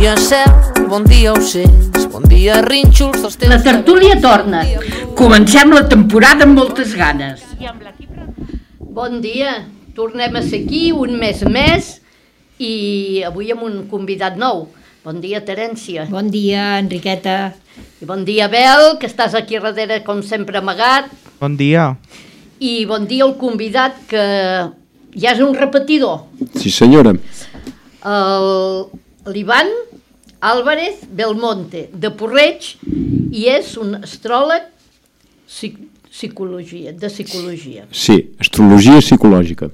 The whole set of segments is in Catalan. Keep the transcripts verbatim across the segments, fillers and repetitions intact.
dia cel, bon dia ocells, bon dia rínxols dels teus... La tertúlia torna. Comencem la temporada amb moltes ganes. Bon dia, tornem a ser aquí un mes més i avui amb un convidat nou. Bon dia, Terència. Bon dia, Enriqueta. I bon dia, Bel, que estàs aquí darrere com sempre amagat. Bon dia. I bon dia al convidat que ja és un repetidor. Sí, senyora. L'Ivan Álvarez Belmonte, de Porreig, i és un astròleg psicologia, de psicologia. Sí, astrologia psicològica.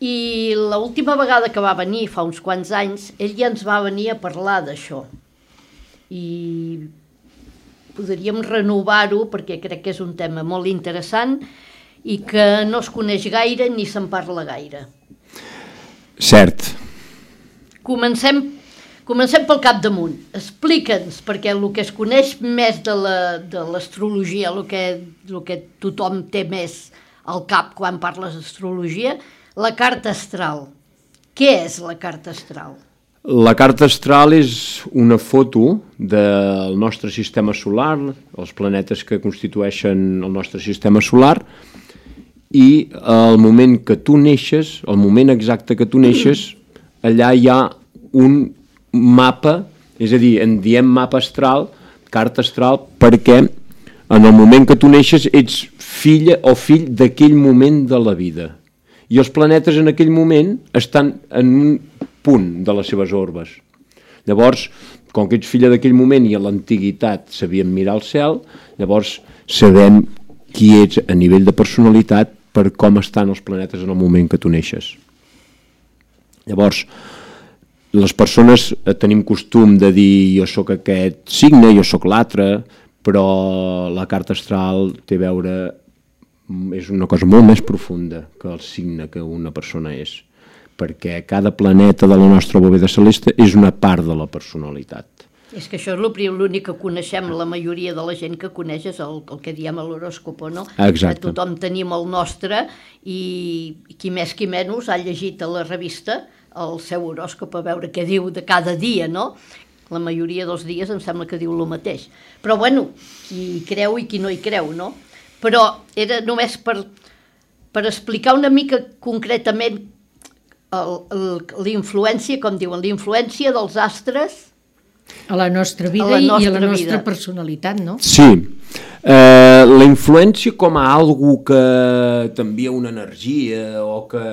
I l'última vegada que va venir, fa uns quants anys, ell ja ens va venir a parlar d'això. I podríem renovar-ho perquè crec que és un tema molt interessant i que no es coneix gaire ni se'n parla gaire. Cert. Comencem, comencem pel capdamunt. Explica'ns, perquè el que es coneix més de l'astrologia, el, que, el que tothom té més al cap quan parles d'astrologia, la carta astral. Què és la carta astral? La carta astral és una foto del nostre sistema solar, els planetes que constitueixen el nostre sistema solar, i al moment que tu neixes, al moment exacte que tu neixes, allà hi ha un mapa, és a dir, en diem mapa astral, carta astral, perquè en el moment que tu neixes ets filla o fill d'aquell moment de la vida. I els planetes en aquell moment estan en un punt de les seves orbes. Llavors, com que ets filla d'aquell moment i a l'antiguitat sabíem mirar el cel, llavors sabem qui ets a nivell de personalitat per com estan els planetes en el moment que tu neixes. Llavors, les persones tenim costum de dir jo sóc aquest signe, jo sóc l'altre, però la carta astral té a veure, és una cosa molt més profunda que el signe que una persona és, perquè cada planeta de la nostra bóveda celeste és una part de la personalitat. És que això és l'únic que coneixem, la majoria de la gent que coneix és el, el que diem l'horòscop, no? Exacte. Que tothom tenim el nostre i qui més qui menys ha llegit a la revista el seu horòscop a veure què diu de cada dia, no? La majoria dels dies em sembla que diu el mateix. Però bueno, qui hi creu i qui no hi creu, no? Però era només per, per explicar una mica concretament la influència, com diuen, la influència dels astres a la nostra vida a la nostra i a la nostra vida. Personalitat, no? Sí, eh, la influència com a algo que t'envia una energia o que,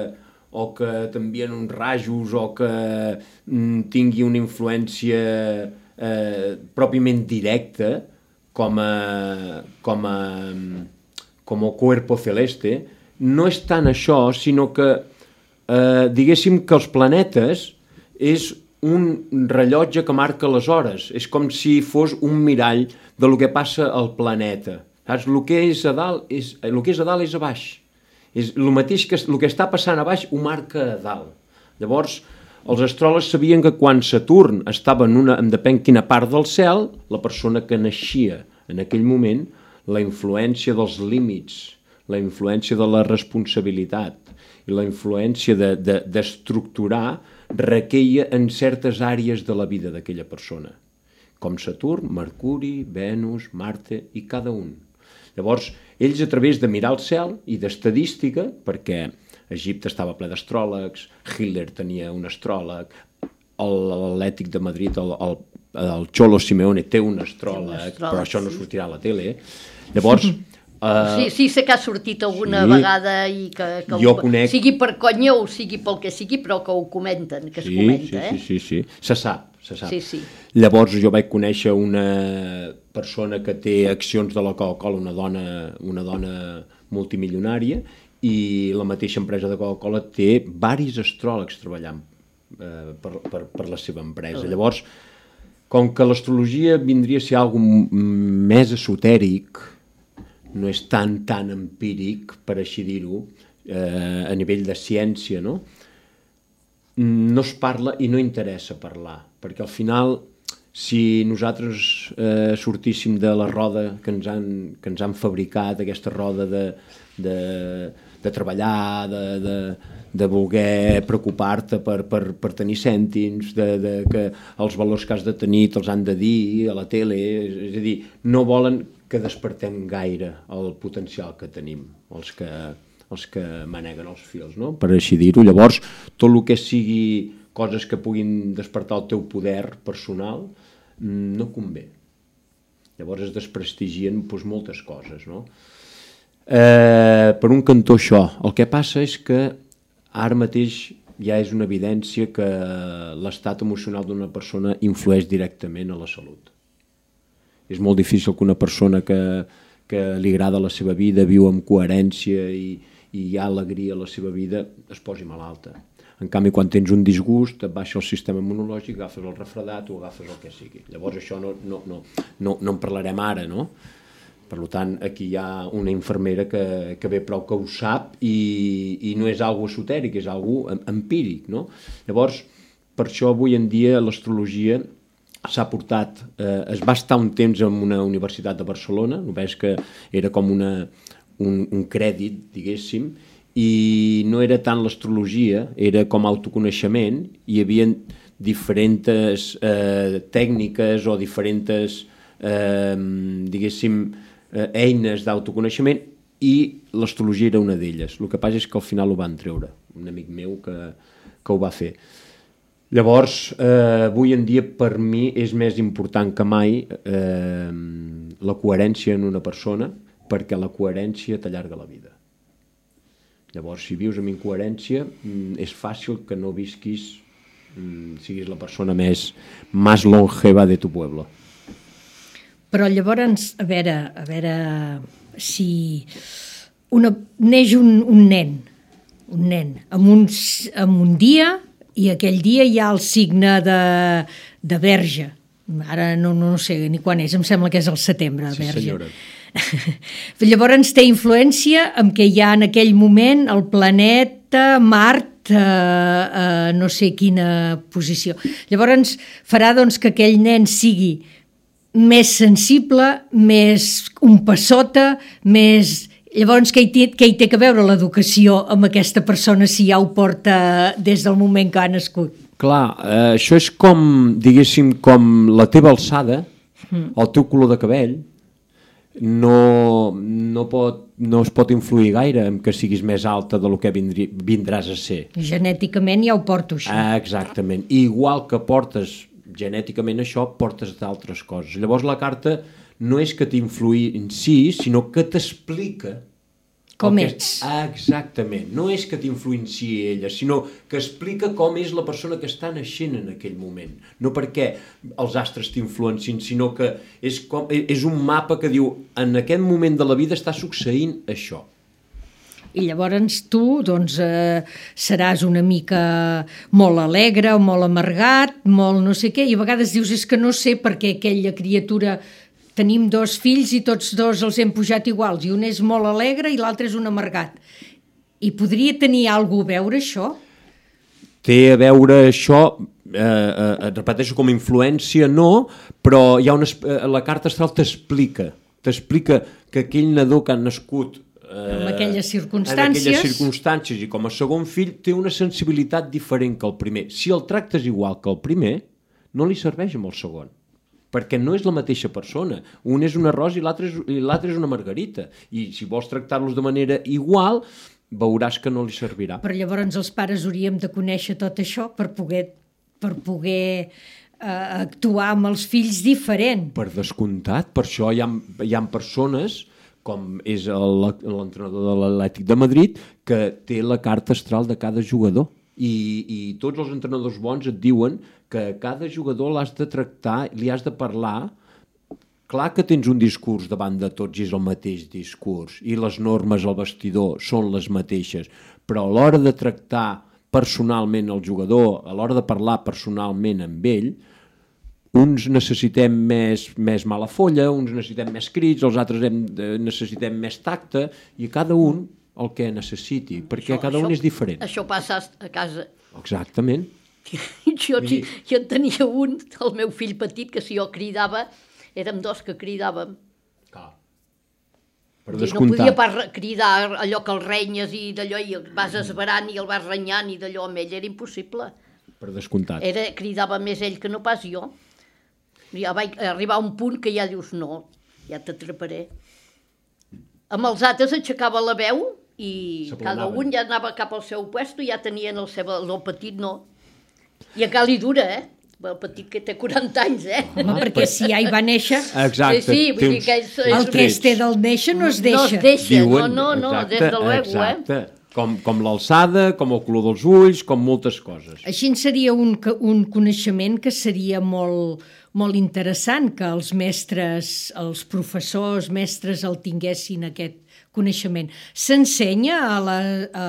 o que t'envien uns rajos o que mm, tingui una influència eh, pròpiament directa com a, com a, com a cuerpo celeste, no és tant això, sinó que eh, diguéssim que els planetes és un rellotge que marca les hores, és com si fos un mirall del que passa al planeta. Saps? El que és a dalt és, el que és a dalt és a baix. És el mateix que el que està passant a baix ho marca a dalt. Llavors, els astròlegs sabien que quan Saturn estava en una, en depèn quina part del cel, la persona que naixia en aquell moment, la influència dels límits, la influència de la responsabilitat i la influència de, de, d'estructurar requeia en certes àrees de la vida d'aquella persona, com Saturn, Mercuri, Venus, Marte i cada un. Llavors, ells a través de mirar el cel i d'estadística, perquè Egipte estava ple d'astròlegs, Hitler tenia un astròleg, l'Atlètic de Madrid, el, el, el Cholo Simeone té un astròleg, un astròleg però això no sortirà a la tele. Llavors... Uh, sí, sí, sé que ha sortit alguna sí, vegada i que, que jo ho, conec... sigui per conya o sigui pel que sigui, però que ho comenten, que sí, es comenta, sí, eh? Sí, sí, sí, se sap, se sap. Sí, sí. Llavors jo vaig conèixer una persona que té accions de la Coca-Cola, una dona, una dona multimilionària, i la mateixa empresa de Coca-Cola té varis astròlegs treballant eh, per, per, per la seva empresa. Uh. Llavors, com que l'astrologia vindria a ser alguna més esotèric, no és tan, tan empíric, per així dir-ho, eh, a nivell de ciència, no? No es parla i no interessa parlar, perquè al final si nosaltres eh, sortíssim de la roda que ens han, que ens han fabricat, aquesta roda de, de, de treballar, de, de, de voler preocupar-te per, per, per tenir cèntims, de, de que els valors que has de tenir te'ls han de dir a la tele, és a dir, no volen que despertem gaire el potencial que tenim, els que, els que maneguen els fils, no? Per així dir-ho. Llavors, tot el que sigui coses que puguin despertar el teu poder personal no convé. Llavors es desprestigien doncs, moltes coses, no? Eh, per un cantó això. El que passa és que ara mateix ja és una evidència que l'estat emocional d'una persona influeix directament a la salut. És molt difícil que una persona que, que li agrada la seva vida, viu amb coherència i, i hi ha alegria a la seva vida, es posi malalta. En canvi, quan tens un disgust, et baixa el sistema immunològic, agafes el refredat o agafes el que sigui. Llavors això no, no, no, no, no en parlarem ara, no? Per tant, aquí hi ha una infermera que, que ve prou que ho sap i, i no és algo esotèric, és algo empíric, no? Llavors, per això avui en dia l'astrologia s'ha portat, eh, es va estar un temps en una universitat de Barcelona, només que era com una, un, un crèdit, diguéssim, i no era tant l'astrologia, era com autoconeixement, hi havia diferents eh, tècniques o diferents eh, diguéssim eh, eines d'autoconeixement i l'astrologia era una d'elles. El que passa és que al final ho van treure, un amic meu que, que ho va fer. Llavors, eh, avui en dia per mi és més important que mai eh, la coherència en una persona, perquè la coherència t'allarga la vida. Llavors, si vius amb incoherència, és fàcil que no visquis, siguis la persona més, més longeva de tu pueblo. Però llavors, a veure, a veure si una, neix un, un nen, un nen, amb un, amb un dia, i aquell dia hi ha el signe de, de Verge. Ara no, no sé ni quan és, em sembla que és el setembre, sí, Verge. Senyora. Llavors té influència en què hi ha en aquell moment el planeta Mart a, a no sé quina posició. Llavors farà doncs, que aquell nen sigui més sensible, més un passota, més... Llavors què hi té, què hi té que veure l'educació amb aquesta persona si ja ho porta des del moment que ha nascut? Clar, eh, això és com, diguéssim, com la teva alçada, mm. el teu color de cabell, no, no, pot, no es pot influir gaire en que siguis més alta del que vindri, vindràs a ser. Genèticament ja ho porto, això. Ah, exactament. I igual que portes genèticament això, portes d'altres coses. Llavors la carta no és que t'influï en si, sinó que t'explica com que... ets. Exactament. No és que t'influenciï ella, sinó que explica com és la persona que està naixent en aquell moment. No perquè els astres t'influencin, sinó que és, com, és un mapa que diu en aquest moment de la vida està succeint això. I llavors tu doncs, eh, seràs una mica molt alegre o molt amargat, molt no sé què, i a vegades dius és que no sé per què aquella criatura... Tenim dos fills i tots dos els hem pujat iguals, i un és molt alegre i l'altre és un amargat. I podria tenir alguna cosa a veure això? Té a veure això, eh, eh, et repeteixo, com a influència no, però hi ha una, eh, la carta astral t'explica, t'explica que aquell nadó que ha nascut eh, en aquelles circumstàncies, en aquelles circumstàncies i com a segon fill té una sensibilitat diferent que el primer. Si el tractes igual que el primer, no li serveix amb el segon, perquè no és la mateixa persona. Un és una rosa i l'altre és, i l'altre és una margarita. I si vols tractar-los de manera igual, veuràs que no li servirà. Però llavors els pares hauríem de conèixer tot això per poder, per poder eh, actuar amb els fills diferent. Per descomptat, per això hi ha, hi ha persones, com és el, l'entrenador de l'Atlètic de Madrid, que té la carta astral de cada jugador. I, i tots els entrenadors bons et diuen que cada jugador l'has de tractar, li has de parlar. Clar que tens un discurs davant de tots i és el mateix discurs i les normes al vestidor són les mateixes, però a l'hora de tractar personalment el jugador, a l'hora de parlar personalment amb ell, uns necessitem més, més mala folla, uns necessitem més crits, els altres hem, necessitem més tacte, i cada un el que necessiti, perquè això, cada un això, és diferent. Això passa a casa. Exactament. Jo, sí, jo en tenia un, el meu fill petit, que si jo cridava, érem dos que cridàvem. Clar. Per I no descomptat. podia pas cridar allò que el renyes i d'allò, i el vas esverant i el vas renyant i d'allò, amb ell era impossible. Per descomptat. Era, cridava més ell que no pas jo. Ja vaig arribar a un punt que ja dius, no, ja t'atraparé. Amb els altres aixecava la veu i cada un ja anava cap al seu puesto i ja tenien el seu... El petit no. I encara li dura, eh? El petit que té quaranta anys, eh? Home, perquè si ja hi va néixer... Exacte. Sí, sí, vull dir que és, és... El que es té del néixer no es deixa. No es deixa, Diuen, no, no, no, exacte, des de luego, exacte. eh? Com, com l'alçada, com el color dels ulls, com moltes coses. Així seria un, un coneixement que seria molt, molt interessant que els mestres, els professors, mestres el tinguessin aquest coneixement. S'ensenya a la, a,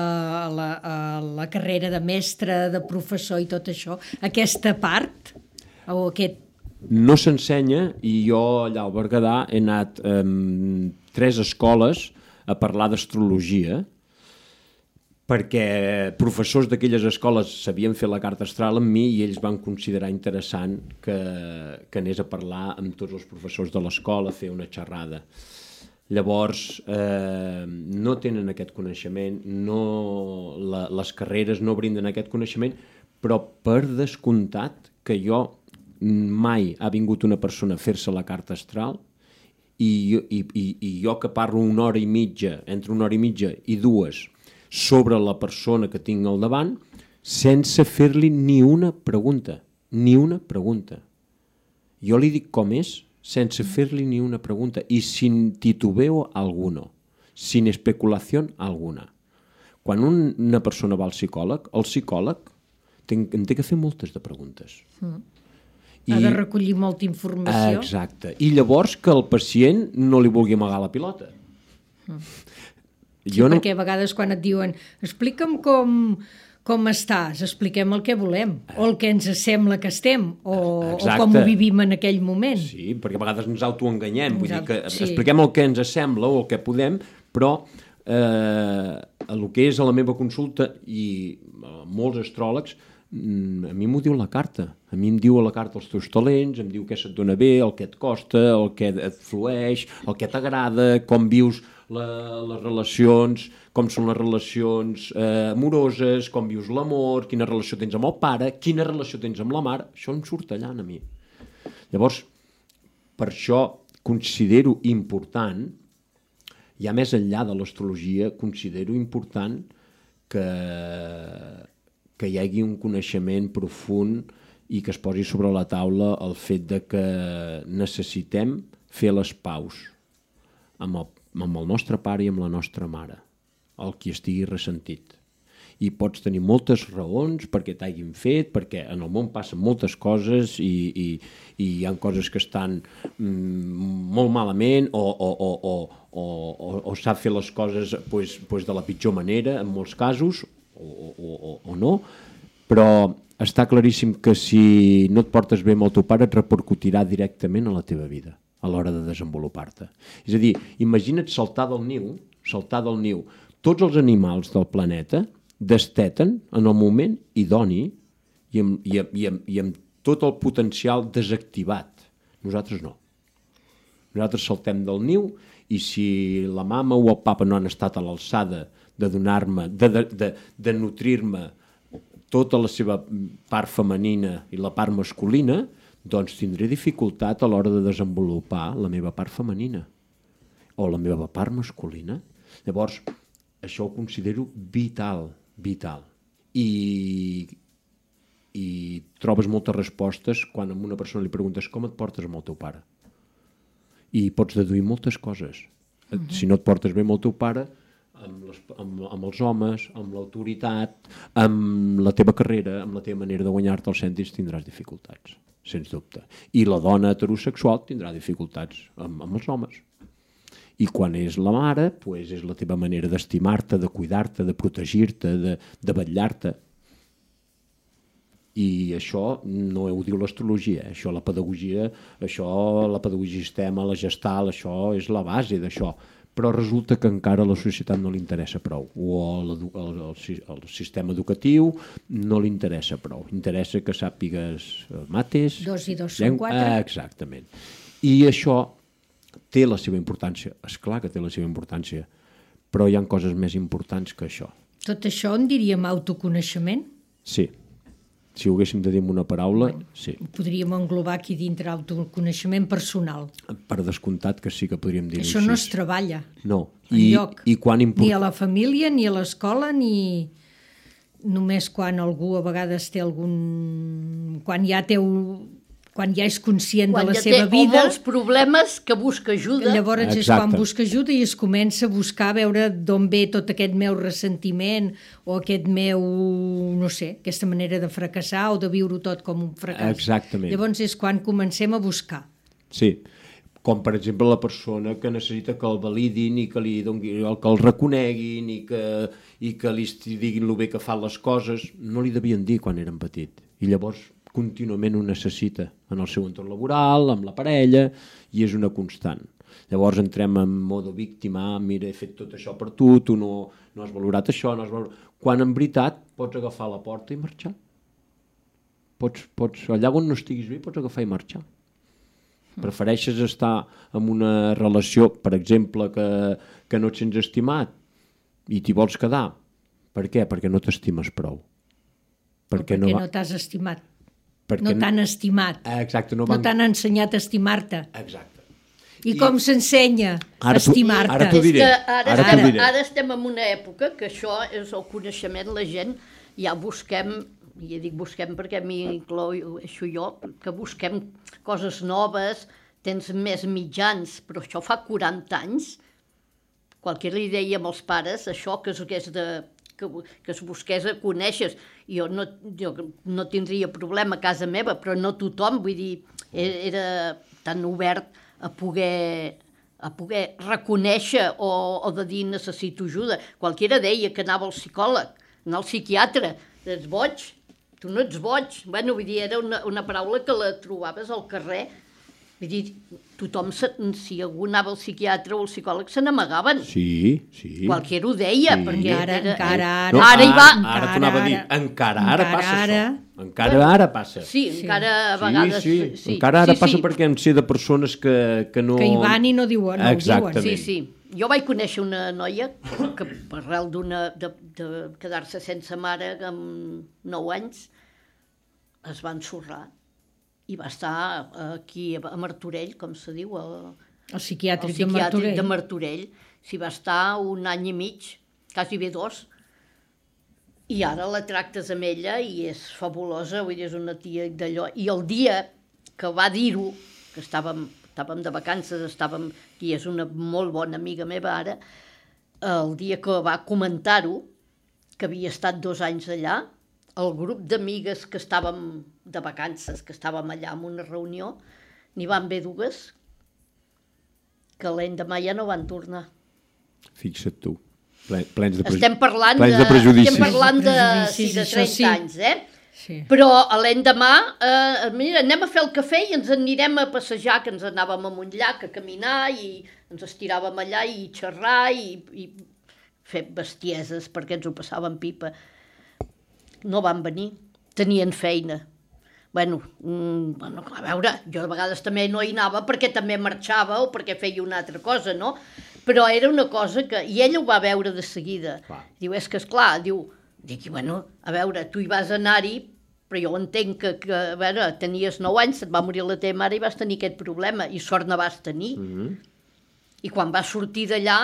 la, a la carrera de mestre, de professor i tot això, aquesta part? O aquest... No s'ensenya i jo allà al Berguedà he anat a eh, tres escoles a parlar d'astrologia perquè professors d'aquelles escoles sabien fer la carta astral amb mi i ells van considerar interessant que, que anés a parlar amb tots els professors de l'escola, a fer una xerrada. Llavors, eh, no tenen aquest coneixement, no, la, les carreres no brinden aquest coneixement, però per descomptat que jo mai ha vingut una persona a fer-se la carta astral i, i, i, i jo que parlo una hora i mitja, entre una hora i mitja i dues, sobre la persona que tinc al davant, sense fer-li ni una pregunta, ni una pregunta. Jo li dic com és, sense fer-li ni una pregunta i sin titubeo alguno, sin especulación alguna. Quan un, una persona va al psicòleg, el psicòleg ten, en té que fer moltes de preguntes. Mm. I, ha de recollir molta informació. Exacte. I llavors que el pacient no li vulgui amagar la pilota. Mm. Sí, jo no... perquè a vegades quan et diuen explica'm com, com estàs, expliquem el que volem, o el que ens sembla que estem, o, o com ho vivim en aquell moment. Sí, perquè a vegades ens autoenganyem, vull dir que sí. expliquem el que ens sembla o el que podem, però eh, el que és a la meva consulta i molts astròlegs, a mi m'ho diu la carta. A mi em diu a la carta els teus talents, em diu què se't dona bé, el que et costa, el que et flueix, el que t'agrada, com vius la, les relacions, com són les relacions eh, amoroses, com vius l'amor, quina relació tens amb el pare, quina relació tens amb la mare. Això em surt allà a mi. Llavors, per això considero important, ja més enllà de l'astrologia, considero important que... que hi hagi un coneixement profund i que es posi sobre la taula el fet de que necessitem fer les paus amb el, amb el nostre pare i amb la nostra mare, el qui estigui ressentit. I pots tenir moltes raons perquè t'hagin fet, perquè en el món passen moltes coses i, i, i hi ha coses que estan mm, molt malament o, o, o, o, o, o, o sap fer les coses pues, pues de la pitjor manera en molts casos, O, o, o no, però està claríssim que si no et portes bé amb el teu pare et repercutirà directament a la teva vida a l'hora de desenvolupar-te. És a dir, imagina't saltar del niu, saltar del niu. Tots els animals del planeta desteten en el moment idoni i amb, i, amb, i, amb, i amb tot el potencial desactivat. Nosaltres no. Nosaltres saltem del niu i si la mama o el papa no han estat a l'alçada de donar-me, de, de, de, de nutrir-me tota la seva part femenina i la part masculina, doncs tindré dificultat a l'hora de desenvolupar la meva part femenina o la meva part masculina. Llavors, això ho considero vital, vital. I, i trobes moltes respostes quan a una persona li preguntes com et portes amb el teu pare. I pots deduir moltes coses. Uh-huh. Si no et portes bé amb el teu pare, Amb, les, amb, amb els homes, amb l'autoritat, amb la teva carrera, amb la teva manera de guanyar-te els cèntims, tindràs dificultats, sens dubte. I la dona heterosexual tindrà dificultats amb, amb els homes. I quan és la mare, pues és la teva manera d'estimar-te, de cuidar-te, de protegir-te, de, de vetllar-te. I això no ho diu l'astrologia, això la pedagogia, això la pedagogia sistema, la gestal, això és la base d'això. però resulta que encara a la societat no li interessa prou, o el, el, el, el sistema educatiu no li interessa prou. Interessa que sàpigues mates... Dos i dos són quatre. Ah, exactament. I això té la seva importància. És clar que té la seva importància, però hi ha coses més importants que això. Tot això en diríem autoconeixement? Sí. Si ho haguéssim de dir amb una paraula, sí. Podríem englobar aquí dintre autoconeixement personal. Per descomptat que sí que podríem dir-ho així. Això no es treballa no. I, enlloc. I quan import... Ni a la família, ni a l'escola, ni només quan algú a vegades té algun... Quan ja té un... quan ja és conscient quan de la ja seva té, vida... o molts problemes que busca ajuda. Llavors Exacte. és quan busca ajuda i es comença a buscar a veure d'on ve tot aquest meu ressentiment o aquest meu, no sé, aquesta manera de fracassar o de viure tot com un fracàs. Exactament. Llavors és quan comencem a buscar. Sí, com per exemple la persona que necessita que el validin i que, li doni, que el reconeguin i que, i que li diguin el bé que fan les coses, no li devien dir quan eren petit. I llavors contínuament ho necessita en el seu entorn laboral, amb la parella, i és una constant. Llavors entrem en modo víctima, mira, he fet tot això per tu, tu no, no has valorat això, no has valorat... Quan en veritat pots agafar la porta i marxar. Pots, pots, allà on no estiguis bé pots agafar i marxar. Prefereixes estar en una relació, per exemple, que, que no et sents estimat i t'hi vols quedar. Per què? Perquè no t'estimes prou. Perquè, perquè no, va... no t'has estimat. Perquè no t'han estimat. Exacte, no, no van... t'han ensenyat a estimar-te. Exacte. I, I com s'ensenya a estimar-te? Ara t'ho diré. Ara, ara, ara, diré. ara estem en una època que això és el coneixement, la gent ja busquem, i ja dic busquem perquè a mi incloixo jo, que busquem coses noves, tens més mitjans, però això fa quaranta anys. Qualsevol li deia amb els pares això que es hagués de... Que, que es busqués a conèixer. Jo no, jo no tindria problema a casa meva, però no tothom, vull dir, era tan obert a poder, a poder reconèixer o, o de dir necessito ajuda. Qualsevol deia que anava al psicòleg, anar al psiquiatre, ets boig, tu no ets boig. Bueno, vull dir, era una, una paraula que la trobaves al carrer. Vull dir, tothom, si algú anava al psiquiatre o al psicòleg, se n'amagaven. Sí, sí. Qualsevol ho deia, sí. perquè ara, era... encara ara... No, ara hi va... Ara t'ho anava a dir, encara ara encara passa ara... això. Encara ara passa. Sí, encara a vegades... Sí, sí, sí. encara ara sí, passa sí. perquè em sé de persones que, que no... Que hi van i no diuen, no Exactament. ho diuen. Sí, sí. Jo vaig conèixer una noia que arrel d'una de, de quedar-se sense mare amb nou anys es va ensorrar i va estar aquí a Martorell, com se diu, el, el psiquiàtric, el psiquiàtric de Martorell. de Martorell. S'hi va estar un any i mig, quasi bé dos, i ara la tractes amb ella i és fabulosa, vull dir, és una tia d'allò. I el dia que va dir-ho, que estàvem, estàvem de vacances, estàvem, i és una molt bona amiga meva ara, el dia que va comentar-ho, que havia estat dos anys allà, el grup d'amigues que estàvem de vacances, que estàvem allà en una reunió, n'hi van haver dues que l'endemà ja no van tornar. Fixa't tu, plens de, estem parlant plens de, de prejudicis. estem parlant de, Prejudicis, sí, de això trenta sí. anys, eh? Sí. Però a l'endemà, eh, mira, anem a fer el cafè i ens anirem a passejar, que ens anàvem a un llac a caminar i ens estiràvem allà i xerrar i, i fer bestieses perquè ens ho passàvem pipa. No van venir, tenien feina. Bueno, mm, bueno, a veure, jo a vegades també no hi anava perquè també marxava o perquè feia una altra cosa, no? Però era una cosa que... I ella ho va veure de seguida. Clar. Diu, és que esclar, diu... Dic, bueno, a veure, tu hi vas anar-hi, però jo entenc que, que, a veure, tenies nou anys, et va morir la teva mare i vas tenir aquest problema, i sort no vas tenir. Mm-hmm. I quan vas sortir d'allà,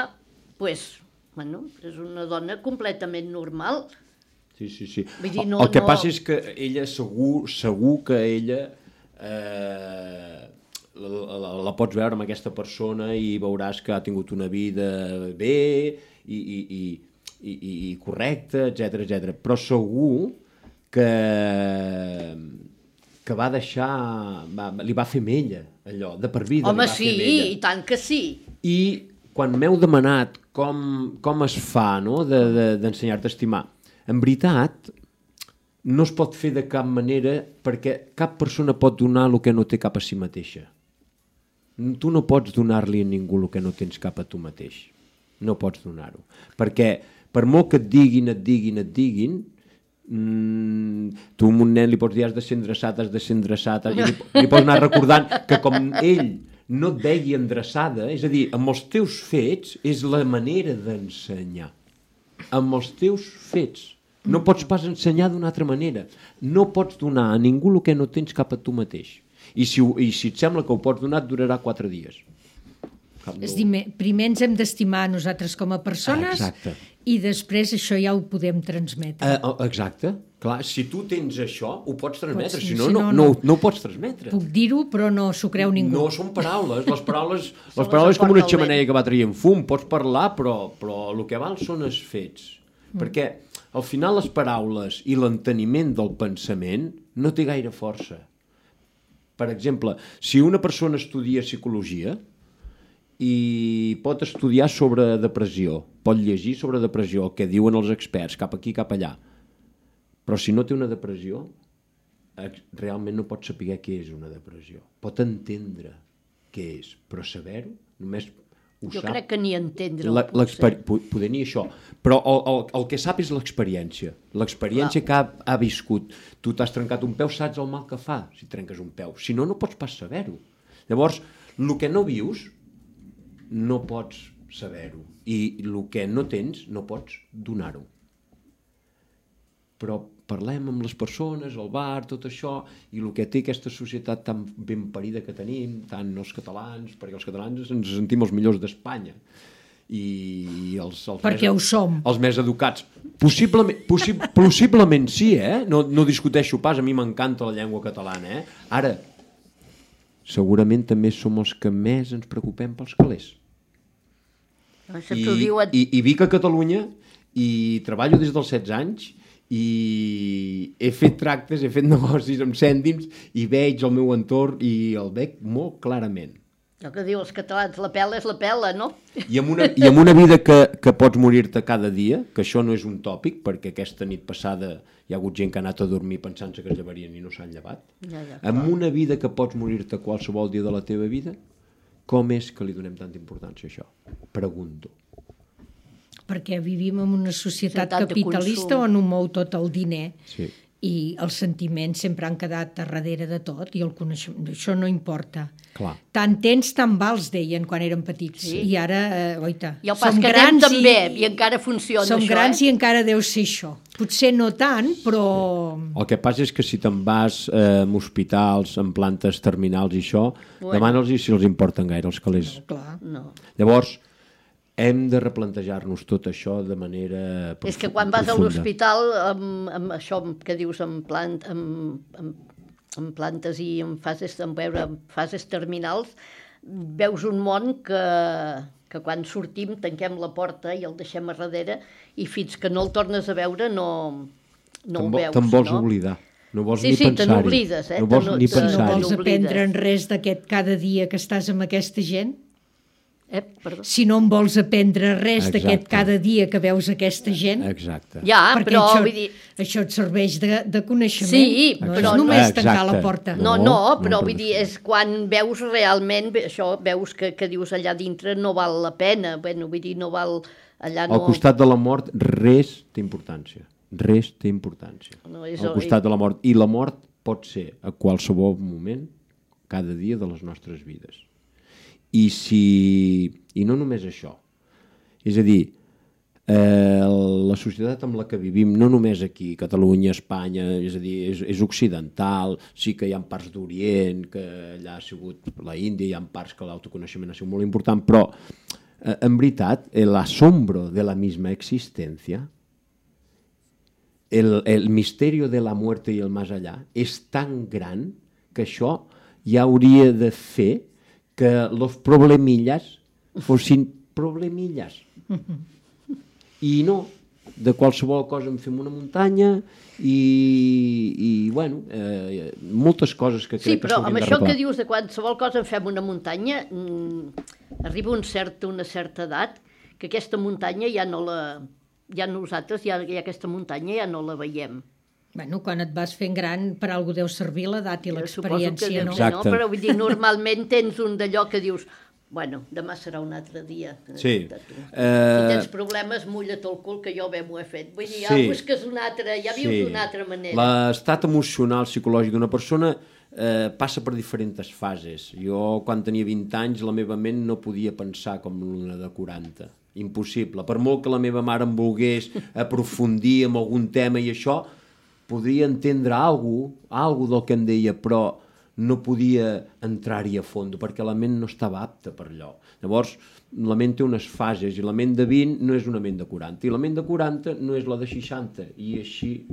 pues, bueno, és una dona completament normal. Sí, sí, sí. Dir, no, el que no... passa és que ella segur, segur que ella eh, la, la, la pots veure amb aquesta persona i veuràs que ha tingut una vida bé i, i, i, i, i correcta, etcètera, etcètera. Però segur que, que va deixar, va, li va fer mella, allò, de per vida. Home, li va sí, fer mella. i tant que sí. I quan m'heu demanat com, com es fa, no?, de, de, d'ensenyar-te a estimar, en veritat, no es pot fer de cap manera perquè cap persona pot donar el que no té cap a si mateixa. Tu no pots donar-li a ningú el que no tens cap a tu mateix. no pots donar-ho. Perquè per molt que et diguin, et diguin, et diguin, mm, tu a un nen li pots dir has de ser endreçat, has de ser endreçat, i li, li pots anar recordant que com ell no et vegi endreçada, és a dir, amb els teus fets és la manera d'ensenyar. Amb els teus fets. No pots pas ensenyar d'una altra manera. No pots donar a ningú el que no tens cap a tu mateix. I si, i si et sembla que ho pots donar, et durarà quatre dies. És dir, primer ens hem d'estimar a nosaltres com a persones Exacte. I després això ja ho podem transmetre. Uh, exacte. Clar, si tu tens això, ho pots transmetre. Pots, si no, si no, no, no, no. no ho pots transmetre. Puc dir-ho, però no s'ho creu ningú. No són paraules. Les paraules, les les paraules com una aporta el xemeneia que va traient fum. Pots parlar, però, però el que val són els fets. Mm. Perquè al final les paraules i l'enteniment del pensament no té gaire força. Per exemple, si una persona estudia psicologia i pot estudiar sobre depressió, pot llegir sobre depressió, el que diuen els experts, cap aquí, cap allà, però si no té una depressió, realment no pot saber què és una depressió. Pot entendre què és, però saber-ho només ho Jo sap. crec que ni entendre-ho. La, poder ni això, però el, el, el que sap és l'experiència, l'experiència que ha, ha viscut. Tu t'has trencat un peu, saps el mal que fa si trenques un peu, si no, no pots pas saber-ho. Llavors, el que no vius no pots saber-ho i el que no tens no pots donar-ho. Però parlem amb les persones, al bar, tot això, i el que té aquesta societat tan ben parida que tenim, tant els catalans, perquè els catalans ens sentim els millors d'Espanya, i els, els perquè més, ho som. Els més educats. Possiblement, possi possiblement sí, eh? No, no discuteixo pas, a mi m'encanta la llengua catalana, eh? Ara, segurament també som els que més ens preocupem pels calés. I, diuen... i, i vic a Catalunya i treballo des dels setze anys i he fet tractes, he fet negocis amb cèntims i veig el meu entorn i el veig molt clarament. El que diu els catalans, la pela és la pela, no? I amb una, i amb una vida que, que pots morir-te cada dia, que això no és un tòpic, perquè aquesta nit passada hi ha hagut gent que ha anat a dormir pensant-se que es llevarien i no s'han llevat. Ja, ja, amb una vida que pots morir-te qualsevol dia de la teva vida, com és que li donem tanta importància a això? Pregunto. Perquè vivim en una societat Societat capitalista on ho mou tot el diner. Sí. I els sentiments sempre han quedat a darrere de tot i el coneixement, això no importa. Clar. Tant tens, tant vals, deien quan érem petits. Sí. I ara, eh, oita, I el pas que anem també, i, i encara funciona som això. Som grans eh? i encara deu ser això. Potser no tant, però... Sí. El que passa és que si te'n vas eh, en hospitals, en plantes terminals i això, bueno. demana'ls si els importen gaire els calés. No, clar. No. Llavors, hem de replantejar-nos tot això de manera profunda. És que quan vas a l'hospital amb, amb això que dius amb, plant, amb, amb, amb plantes i en fases, en veure, en fases terminals, veus un món que, que quan sortim tanquem la porta i el deixem a darrere i fins que no el tornes a veure no, no ho veus. Te'n vols no? oblidar. No vols sí, ni sí, pensar-hi. te n'oblides. Eh? No vols no, ni pensar-hi. No vols n'oblides. aprendre en res d'aquest cada dia que estàs amb aquesta gent? Eh, perdó. Si no en vols aprendre res d'aquest cada dia que veus aquesta gent, exacte. Ja, perquè però això, vull dir... això et serveix de, de coneixement. Sí, no però és només exacte. tancar la porta. No, No, no, no, però no vull dir, és quan veus realment, això, veus que, que dius allà dintre no val la pena, bueno, vull dir, no val allà no... Al costat de la mort res té importància. Res té importància. No, és Al el- costat de la mort. I la mort pot ser a qualsevol moment, cada dia de les nostres vides. I si... I no només això. És a dir, eh, la societat amb la que vivim, no només aquí, Catalunya, Espanya, és a dir, és, és occidental, sí que hi ha parts d'Orient, que allà ha sigut la Índia, hi ha parts que l'autoconeixement ha sigut molt important, però eh, en veritat, l'asombro de la misma existència, el, el misterio de la muerte i el más allá és tan gran que això ja hauria de fer que los problemillas fossin problemillas. I no, de qualsevol cosa en fem una muntanya i, i bueno, eh, moltes coses que crec Sí, que però s'haurien amb de això arreglar. que dius de qualsevol cosa en fem una muntanya, mmm, arriba un cert, una certa edat que aquesta muntanya ja no la... ja nosaltres, ja, ja aquesta muntanya ja no la veiem. Bueno, quan et vas fent gran, per alguna cosa deu servir l'edat i Jo suposo que l'experiència, deu no? ser, Exacte. Però vull dir, normalment tens un d'allò que dius Bueno, demà serà un altre dia. Sí. De tu. Eh, Si tens problemes, mulla't el cul, que jo bé m'ho he fet. Vull dir, ja Sí. busques una altra, ja vius Sí. d'una altra manera. L'estat emocional, psicològic d'una persona eh, passa per diferents fases. Jo, quan tenia vint anys, la meva ment no podia pensar com una de quaranta. Impossible. Per molt que la meva mare em volgués aprofundir en algun tema i això, podria entendre alguna cosa, alguna del que em deia, però no podia entrar-hi a fons, perquè la ment no estava apta per allò. Llavors, la ment té unes fases, i la ment de vint no és una ment de quaranta, i la ment de quaranta no és la de seixanta, i així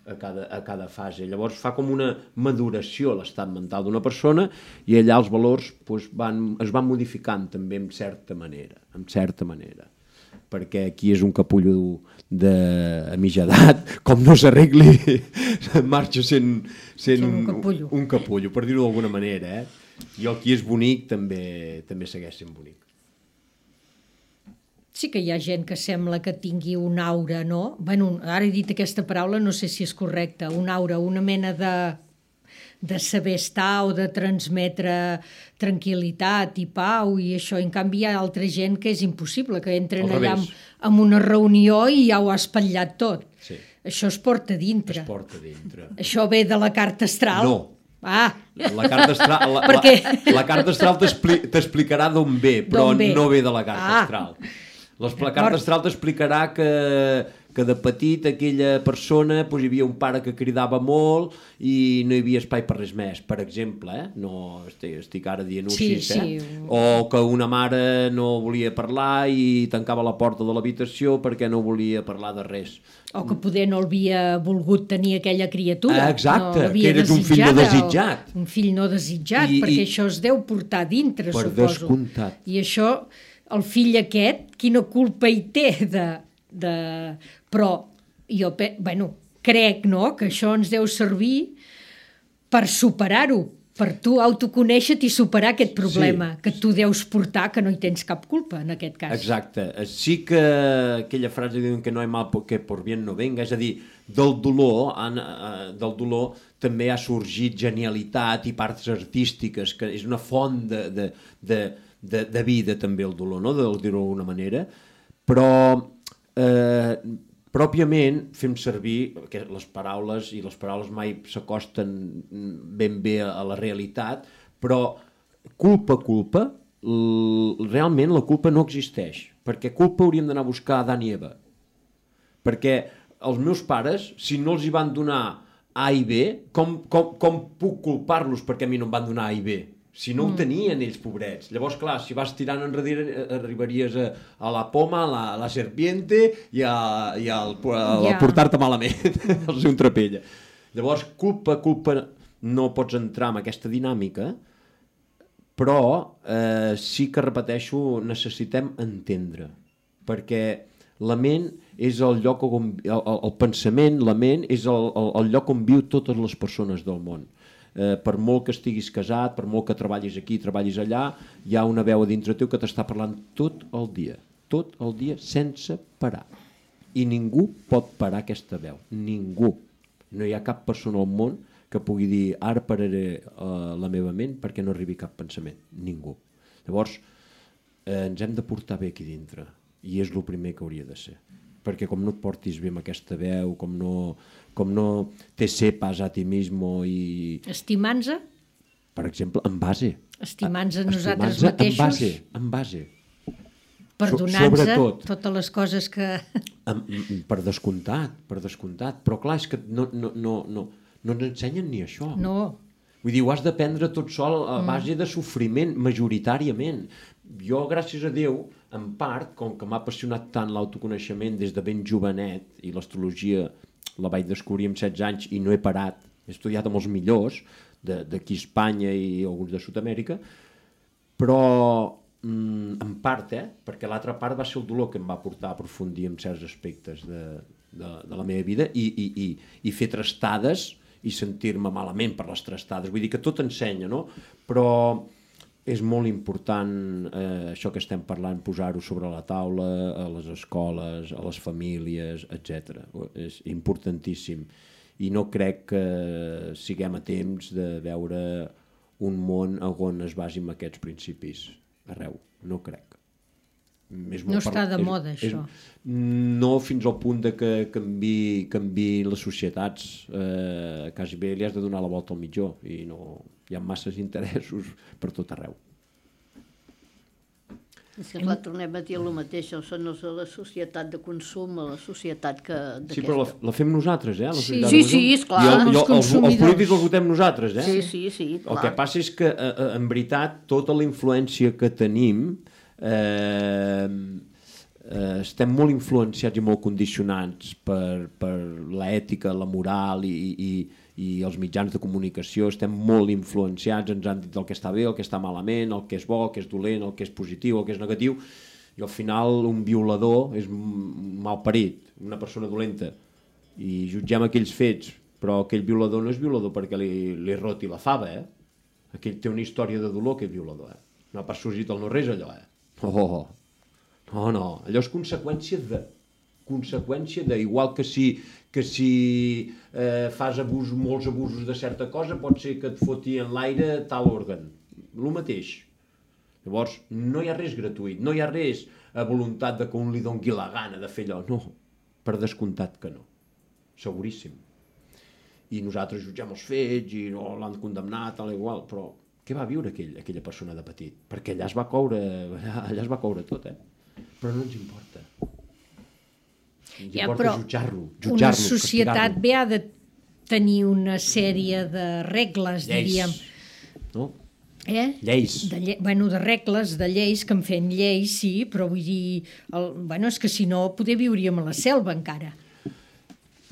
a cada, a cada fase. Llavors fa com una maduració a l'estat mental d'una persona, i allà els valors doncs, van, es van modificant també en certa manera, en certa manera. Perquè aquí és un capullo de mitja edat, com no s'arregli, marxa sent, sent un capullo. un capullo, per dir-ho d'alguna manera. Eh? I el qui és bonic també, també segueix sent bonic. Sí que hi ha gent que sembla que tingui un aura, no? Bueno, ara he dit aquesta paraula, no sé si és correcta, un aura, una mena de, de saber estar o de transmetre tranquil·litat i pau i això. En canvi hi ha altra gent que és impossible, que entren Al allà revés. en una reunió i ja ho ha espatllat tot. Sí. Això es porta dintre. Es porta dintre. Això ve de la carta astral? No. Ah, La carta astral, la, Perquè- la, la carta astral t'expli- t'explicarà d'on ve, però D'on ve. no ve de la carta Ah. astral. Les, la carta astral t'explicarà que, que de petit aquella persona doncs, hi havia un pare que cridava molt i no hi havia espai per res més, per exemple, eh? No estic, estic ara dient-ho Sí, així, eh? sí. O que una mare no volia parlar i tancava la porta de l'habitació perquè no volia parlar de res. o que poder no havia volgut tenir aquella criatura. Ah, exacte, no l'havia que eres un fill no desitjada, desitjat. o Un fill no desitjat, I- perquè i- això es deu portar dintre, Per suposo. descomptat. I això, el fill aquest, quina culpa hi té de... de... Però jo, pe- bueno, crec, no?, que això ens deu servir per superar-ho, per tu autoconèixer-te i superar aquest problema Sí. que tu deus portar, que no hi tens cap culpa, en aquest cas. Exacte. Sí que aquella frase diuen que no hi ha mal que por bien no venga, és a dir, del dolor, han, eh, del dolor també ha sorgit genialitat i parts artístiques, que és una font de, de, de, de, de vida també el dolor, no?, de dir-ho d'alguna manera, però eh, pròpiament fem servir les paraules, i les paraules mai s'acosten ben bé a la realitat, però culpa, culpa, realment la culpa no existeix, perquè culpa hauríem d'anar a buscar a Adán i Eva, perquè els meus pares, si no els hi van donar A i B, com, com, com puc culpar-los perquè a mi no em van donar A i B? Si no ho tenien ells, pobrets. Llavors, clar, si vas tirant enrere, arribaries a, a la poma, a la, a la serpiente i a, i al, a, a Ja. portar-te malament, al ser un trapella. Llavors, culpa, culpa, no pots entrar en aquesta dinàmica, però eh, sí que, repeteixo, necessitem entendre, perquè la ment és el lloc on, el, el pensament, la ment és el, el, el lloc on viu totes les persones del món. Eh, per molt que estiguis casat, per molt que treballis aquí, treballis allà, hi ha una veu a dintre teu que t'està parlant tot el dia, tot el dia sense parar. I ningú pot parar aquesta veu, ningú. No hi ha cap persona al món que pugui dir ara pararé uh, la meva ment perquè no arribi cap pensament, ningú. Llavors, eh, ens hem de portar bé aquí dintre, i és el primer que hauria de ser, perquè com no et portis bé amb aquesta veu, com no, com no te sepas a ti mismo i, Estimant-se, per exemple, en base. estimant-se nosaltres Estimant-se mateixos, En base, en base. perdonant-se sobretot. totes les coses que... Em- em- Per descomptat, per descomptat. Però clar, és que no, no, no, no, no ens ensenyen ni això. No, Vull dir, ho has d'aprendre tot sol a base de sofriment, majoritàriament. Jo, gràcies a Déu, en part, com que m'ha apassionat tant l'autoconeixement des de ben jovenet, i l'astrologia la vaig descobrir amb setze anys i no he parat, he estudiat amb els millors d'aquí a Espanya i alguns de Sud-amèrica, però mm, en part, eh, perquè l'altra part va ser el dolor que em va portar a aprofundir en certs aspectes de, de, de la meva vida i, i, i, i fer trastades i sentir-me malament per les trastades. Vull dir que tot ensenya, no? Però és molt important eh, això que estem parlant, posar-ho sobre la taula, a les escoles, a les famílies, etcètera. És importantíssim. I no crec que siguem a temps de veure un món on es basi en aquests principis. arreu, no crec. És No està de és, moda, és, això. No fins al punt de que canvi, canvi les societats, eh, quasi bé li has de donar la volta al mitjó i no, hi ha masses interessos per tot arreu. És que clar, tornem a dir el mateix, són els de la societat de consum, a la societat que... Sí, però la, la fem nosaltres, eh? La Sí. societat Sí, de sí, consum. esclar. I el, Els i el, els, els consumidors. polítics els votem nosaltres, eh? Sí, sí, sí, clar. El que passa és que, eh, en veritat, tota la influència que tenim, eh, eh, estem molt influenciats i molt condicionats per, per l'ètica, la moral i, i, i els mitjans de comunicació. Estem molt influenciats, ens han dit el que està bé, el que està malament, el que és bo, el que és dolent, el que és positiu, el que és negatiu, i al final un violador és malparit, una persona dolenta, i jutgem aquells fets, però aquell violador no és violador perquè li, li roti la fava, eh? Aquell té una història de dolor, aquell violador, eh? No ha pas sorgit el no-res, allò, eh? Oh, no, no, allò és conseqüència de... conseqüència de... Igual que si, que si eh, fas abús, molts abusos de certa cosa, pot ser que et foti en l'aire tal òrgan. El mateix. Llavors, no hi ha res gratuït, no hi ha res a voluntat de que un li doni la gana de fer allò. No, per descomptat que no. Seguríssim. I nosaltres jutgem els fets i no l'han condemnat, tal igual, però què va viure aquell, aquella persona de petit? Perquè allà es va coure, allà, allà es va coure tot, eh? Però no ens importa. Ens Ja, importa però jutjar-lo, una jutjar-lo, societat castigar-lo. bé ha de tenir una sèrie de regles, Lleis. diríem. No? Eh? Lleis. De, lle bueno, de regles, de lleis, que en fem lleis, sí, però vull dir... El, bueno, és que si no, poder viuríem a la selva encara.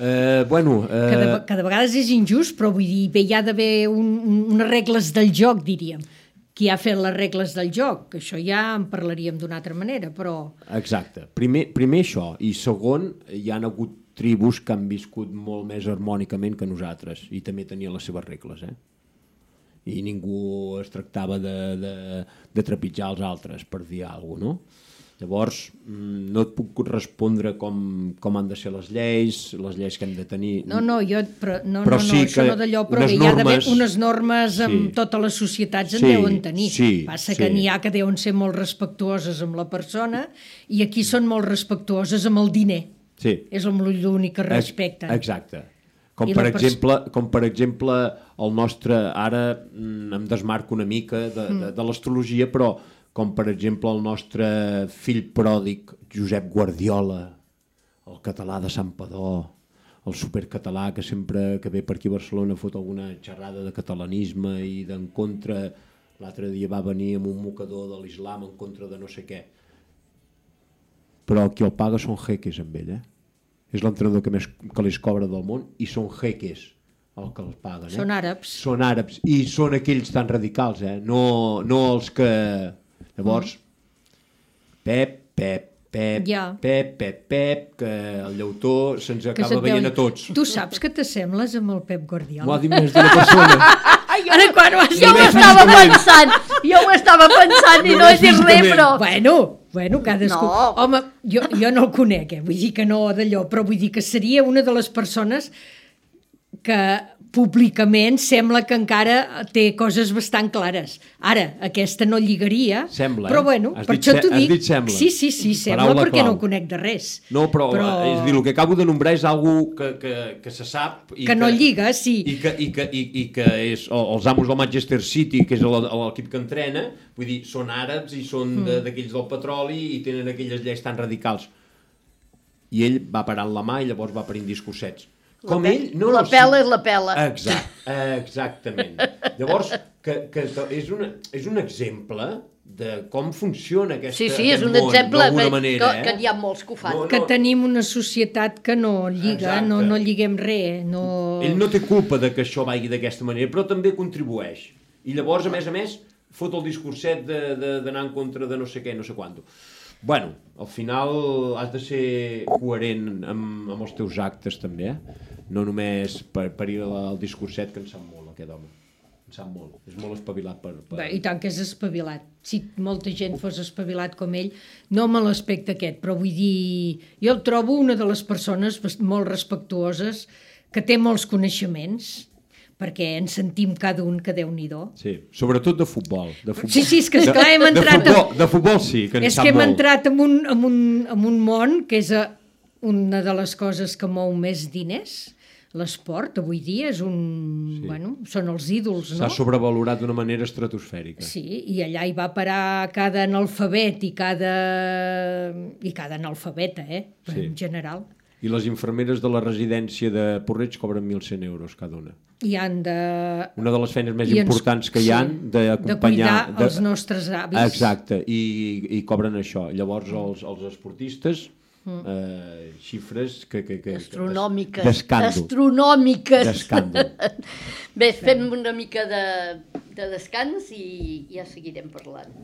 Eh, bueno... Eh... Que, de, que de vegades és injust, però vull dir, bé, hi ha d'haver un, un, unes regles del joc, diríem. Qui ha fet les regles del joc? Que això ja en parlaríem d'una altra manera, però... Exacte. Primer, primer això, i segon, hi han hagut tribus que han viscut molt més harmònicament que nosaltres, i també tenien les seves regles, eh? I ningú es tractava de, de, de trepitjar els altres, per dir alguna cosa, no? Llavors, no et puc respondre com, com han de ser les lleis, les lleis que hem de tenir... No, no, jo, però, no, però no, no, sí això no d'allò, però unes bé, hi ha d'haver normes- unes normes amb Sí. totes les societats en Sí, deuen tenir. sí, Passa sí. que n'hi ha que deuen ser molt respectuoses amb la persona i aquí són molt respectuoses amb el diner. Sí. És l'únic que respecten. Exacte. Com I per, la pers- exemple, com per exemple el nostre... Ara mm, em desmarco una mica de, de, de l'astrologia, però com per exemple el nostre fill pròdig, Josep Guardiola, el català de Santpedor, el supercatalà que sempre que ve per aquí a Barcelona fot alguna xerrada de catalanisme i d'en contra... L'altre dia va venir amb un mocador de l'islam en contra de no sé què. Però qui el paga són jeques amb ell, eh? És l'entrenador que més calés cobra del món i són jeques el que els paguen. Eh? Són àrabs. Són àrabs i són aquells tan radicals, eh? no, no els que... Llavors, Pep, Pep, Pep, Ja. Pep, Pep, Pep, que el llautó se'ns Que acaba se't veient deu- a tots. Tu saps que t'assembles amb el Pep Guardiola? M'ho ha dit més d'una persona. Ara quan ho has Jo ho dit? estava pensant, jo ho estava pensant i no he dit res, però... Bueno, bueno, cadascú... No. Home, jo, jo no el conec, eh? Vull dir que no d'allò, però vull dir que seria una de les persones que públicament sembla que encara té coses bastant clares. Ara, aquesta no lligaria, Sembla, però eh? bueno, Has per dit això se- t'ho has dic. dit sembla. Sí, sí, sí, sembla Paraula perquè clau. no ho conec de res. No, però, però... és a dir, el que acabo de nombrar és algú que, que, que se sap... I Que no lliga, sí. I que, i que, i, i que és o- els amos del Manchester City, que és el- l'equip que entrena, vull dir, són àrabs i són Mm. de- d'aquells del petroli i tenen aquelles lleis tan radicals. I ell va parant la mà i llavors va parint discursets. Com pe- ell... No, la no, pela sí. és la pela. Exact, exactament. Llavors, que, que és, una, és un exemple de com funciona aquesta, Sí, sí, és aquest un món, exemple d'alguna que, manera, que, eh? que n'hi ha molts que ho fan. No, Que tenim una societat que no lliga, Exacte. no, no lliguem res. No... Ell no té culpa de que això vagi d'aquesta manera, però també contribueix. I llavors, a més a més, fot el discurset de- de- d'anar en contra de no sé què, no sé quant. Bueno, al final has de ser coherent amb, amb els teus actes també, eh? No només per, per ir al discurset, que en sap molt aquest home. En sap molt. És molt espavilat per... per... Bé, i tant que és espavilat. Si molta gent fos espavilat com ell, no me l'aspecte aquest, però vull dir... Jo el trobo una de les persones bast- molt respectuoses, que té molts coneixements, perquè ens sentim cada un que Déu-n'hi-do. Sí, sobretot de futbol. De futbol. Sí, sí, és que esclar, hem entrat... De futbol, de futbol sí, que en és sap que hem molt. entrat en un, en, un, en un món que és eh, una de les coses que mou més diners. L'esport, avui dia, és un... Sí. Bueno, són els ídols, no? S'ha sobrevalorat d'una manera estratosfèrica. Sí, i allà hi va parar cada analfabet i cada, i cada analfabeta, eh? Sí. En general. I les infermeres de la residència de Porreig cobren mil cent euros cada una. I han de... Una de les feines més I ens- importants que hi ha sí, d'acompanyar... de cuidar els nostres avis. Exacte, i, i cobren això. Llavors els, els esportistes, eh, xifres que... que, que Astronòmiques. D'escàndol. Astronòmiques. D'escàndol. Bé, fem una mica de, de descans i ja seguirem parlant.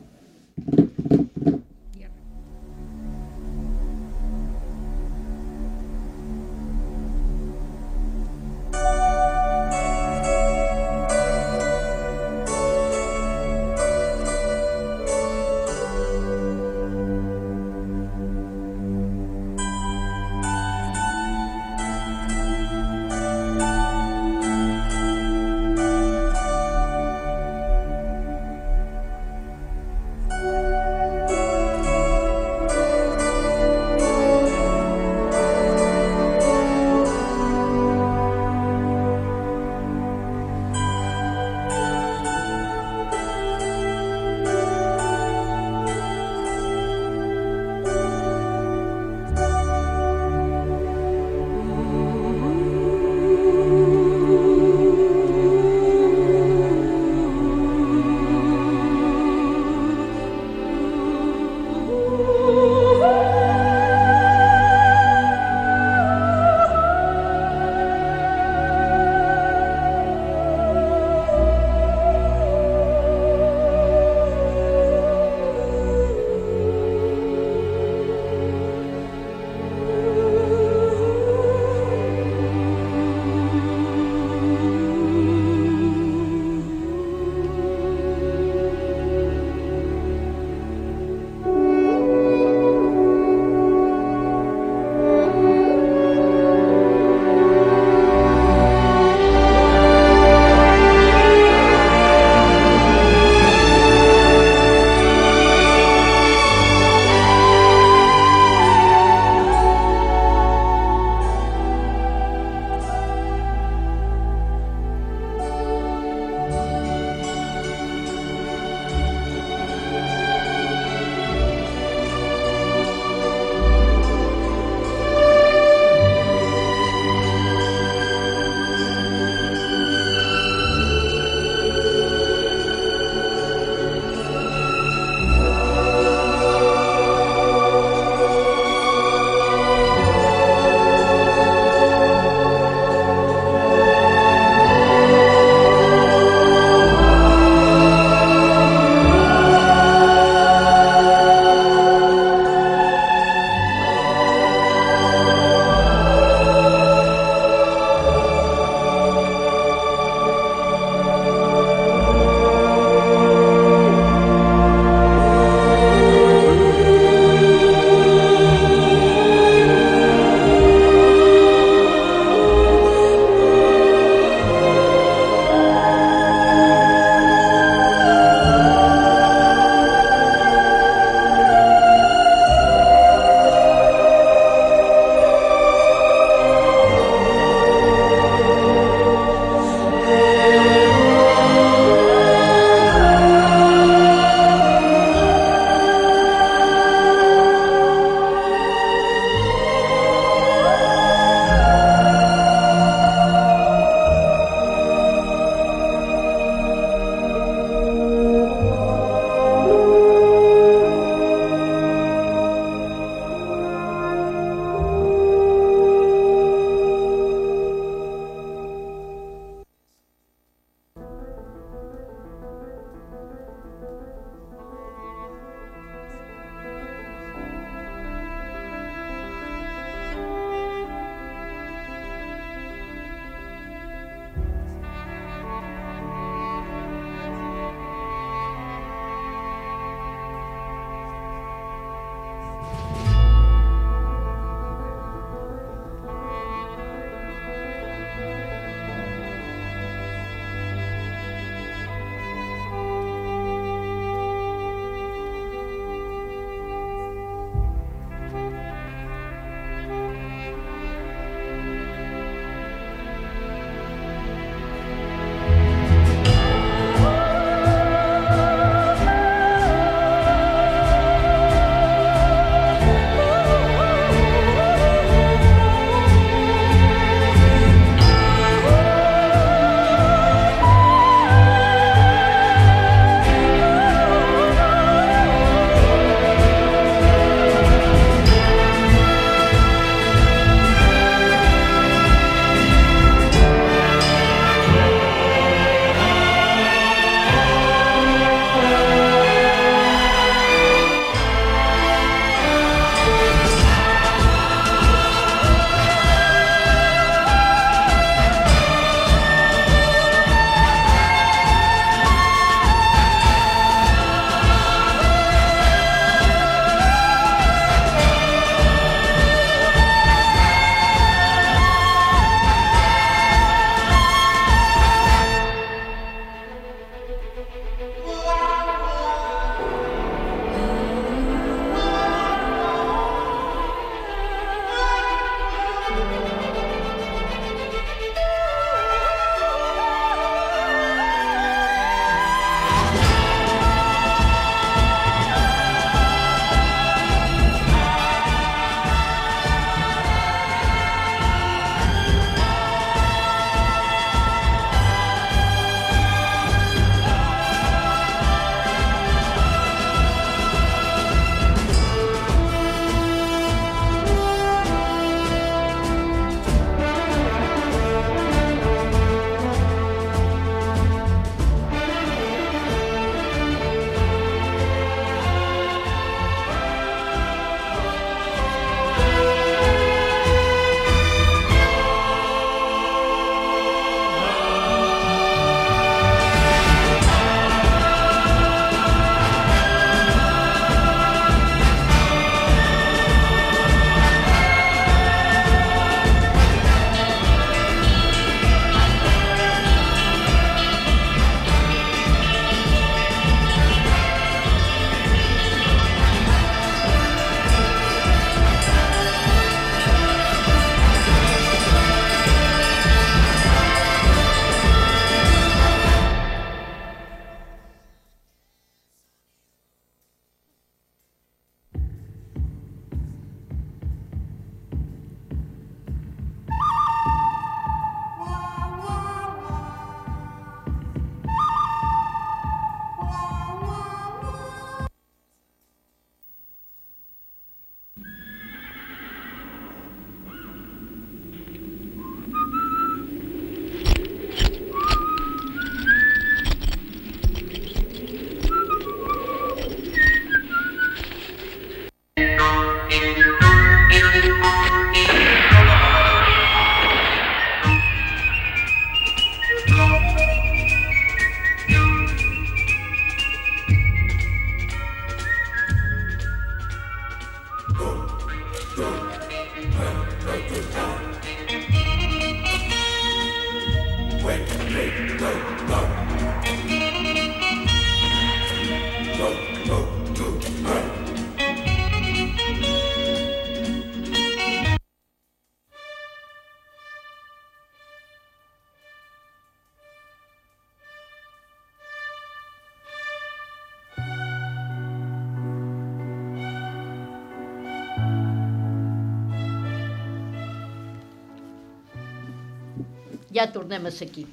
ja tornem a ser aquí.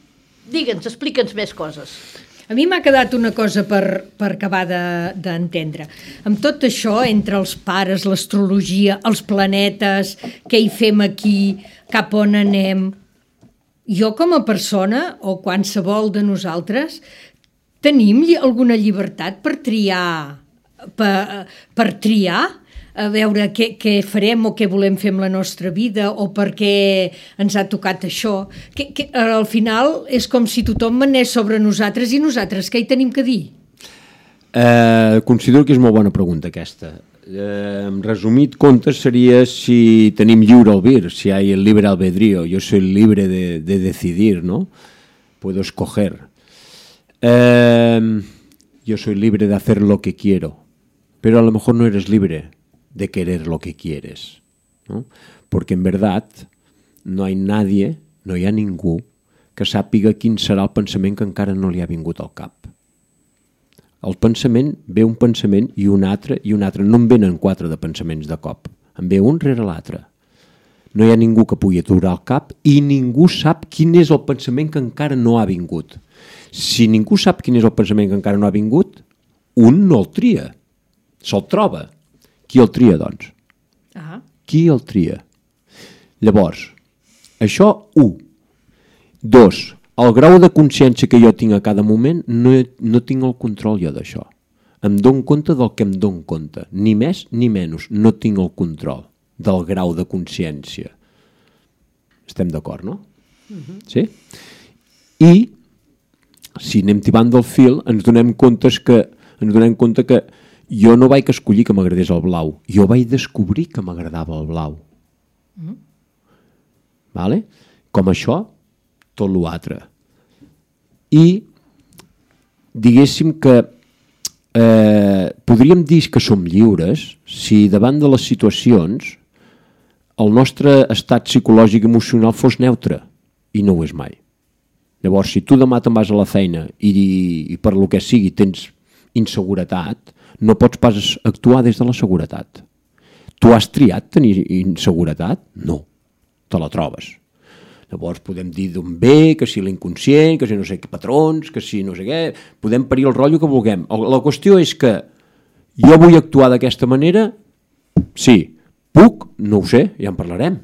Digue'ns, explica'ns més coses. A mi m'ha quedat una cosa per, per acabar d'entendre. De, amb tot això, entre els pares, l'astrologia, els planetes, què hi fem aquí, cap on anem, jo com a persona, o qualsevol de nosaltres, tenim alguna llibertat per triar, per, per triar, a veure què, què farem o què volem fer amb la nostra vida o per què ens ha tocat això. Que, que, al final és com si tothom manés sobre nosaltres i nosaltres què hi tenim que dir? Eh, considero que és molt bona pregunta aquesta. Eh, resumit comptes seria si tenim lliure albir, si hay el libre albedrío. Yo soy libre de, de decidir, ¿no? Puedo escoger. Eh, yo soy libre de hacer lo que quiero, pero a lo mejor no eres libre de querer lo que quieres, ¿no? Porque en verdad no hay nadie, no hi ha ningú que sàpiga quin serà el pensament que encara no li ha vingut al cap. El pensament, ve un pensament i un altre i un altre, no en venen quatre de pensaments de cop, en ve un rere l'altre. No hi ha ningú que pugui aturar el cap i ningú sap quin és el pensament que encara no ha vingut. Si ningú sap quin és el pensament que encara no ha vingut, un no el tria, se'l troba. Qui el tria, doncs? Ah. Qui el tria? Llavors, això, u. Dos, el grau de consciència que jo tinc a cada moment, no, no tinc el control jo d'això. Em dono compte del que em dono compte. Ni més ni menys. No tinc el control del grau de consciència. Estem d'acord, no? Uh-huh. Sí? I, si anem tibant del fil, ens donem comptes que, ens donem compte que jo no vaig escollir que m'agradés el blau, jo vaig descobrir que m'agradava el blau. Mm. Vale? Com això, tot l'altre. I diguéssim que eh, podríem dir que som lliures si davant de les situacions el nostre estat psicològic i emocional fos neutre, i no ho és mai. Llavors, si tu demà te'n vas a la feina i, i per lo que sigui tens inseguretat, no pots pas actuar des de la seguretat. Tu has triat tenir inseguretat? No, te la trobes. Llavors podem dir d'on ve, que si l'inconscient, que si no sé què patrons, que si no sé què, podem parir el rotllo que vulguem. La qüestió és que jo vull actuar d'aquesta manera, sí, puc, no ho sé, ja en parlarem,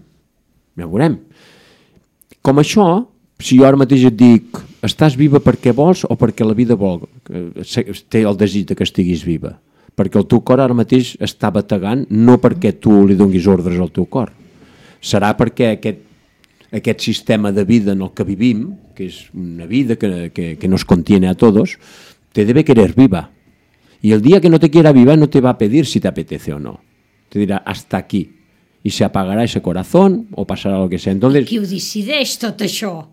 ja ho veurem. Com això, si jo ara mateix et dic estàs viva perquè vols o perquè la vida vol, té el desig que estiguis viva, perquè el teu cor ara mateix està bategant no perquè tu li donis ordres al teu cor, serà perquè aquest, aquest sistema de vida en el que vivim, que és una vida que, que, que nos contiene a todos, te debe querer viva, y el día que no te quiera viva no te va a pedir si te apetece o no, te dirà hasta aquí, y se apagará ese corazón o pasará lo que sea. Entonces, qui ho decideix tot això?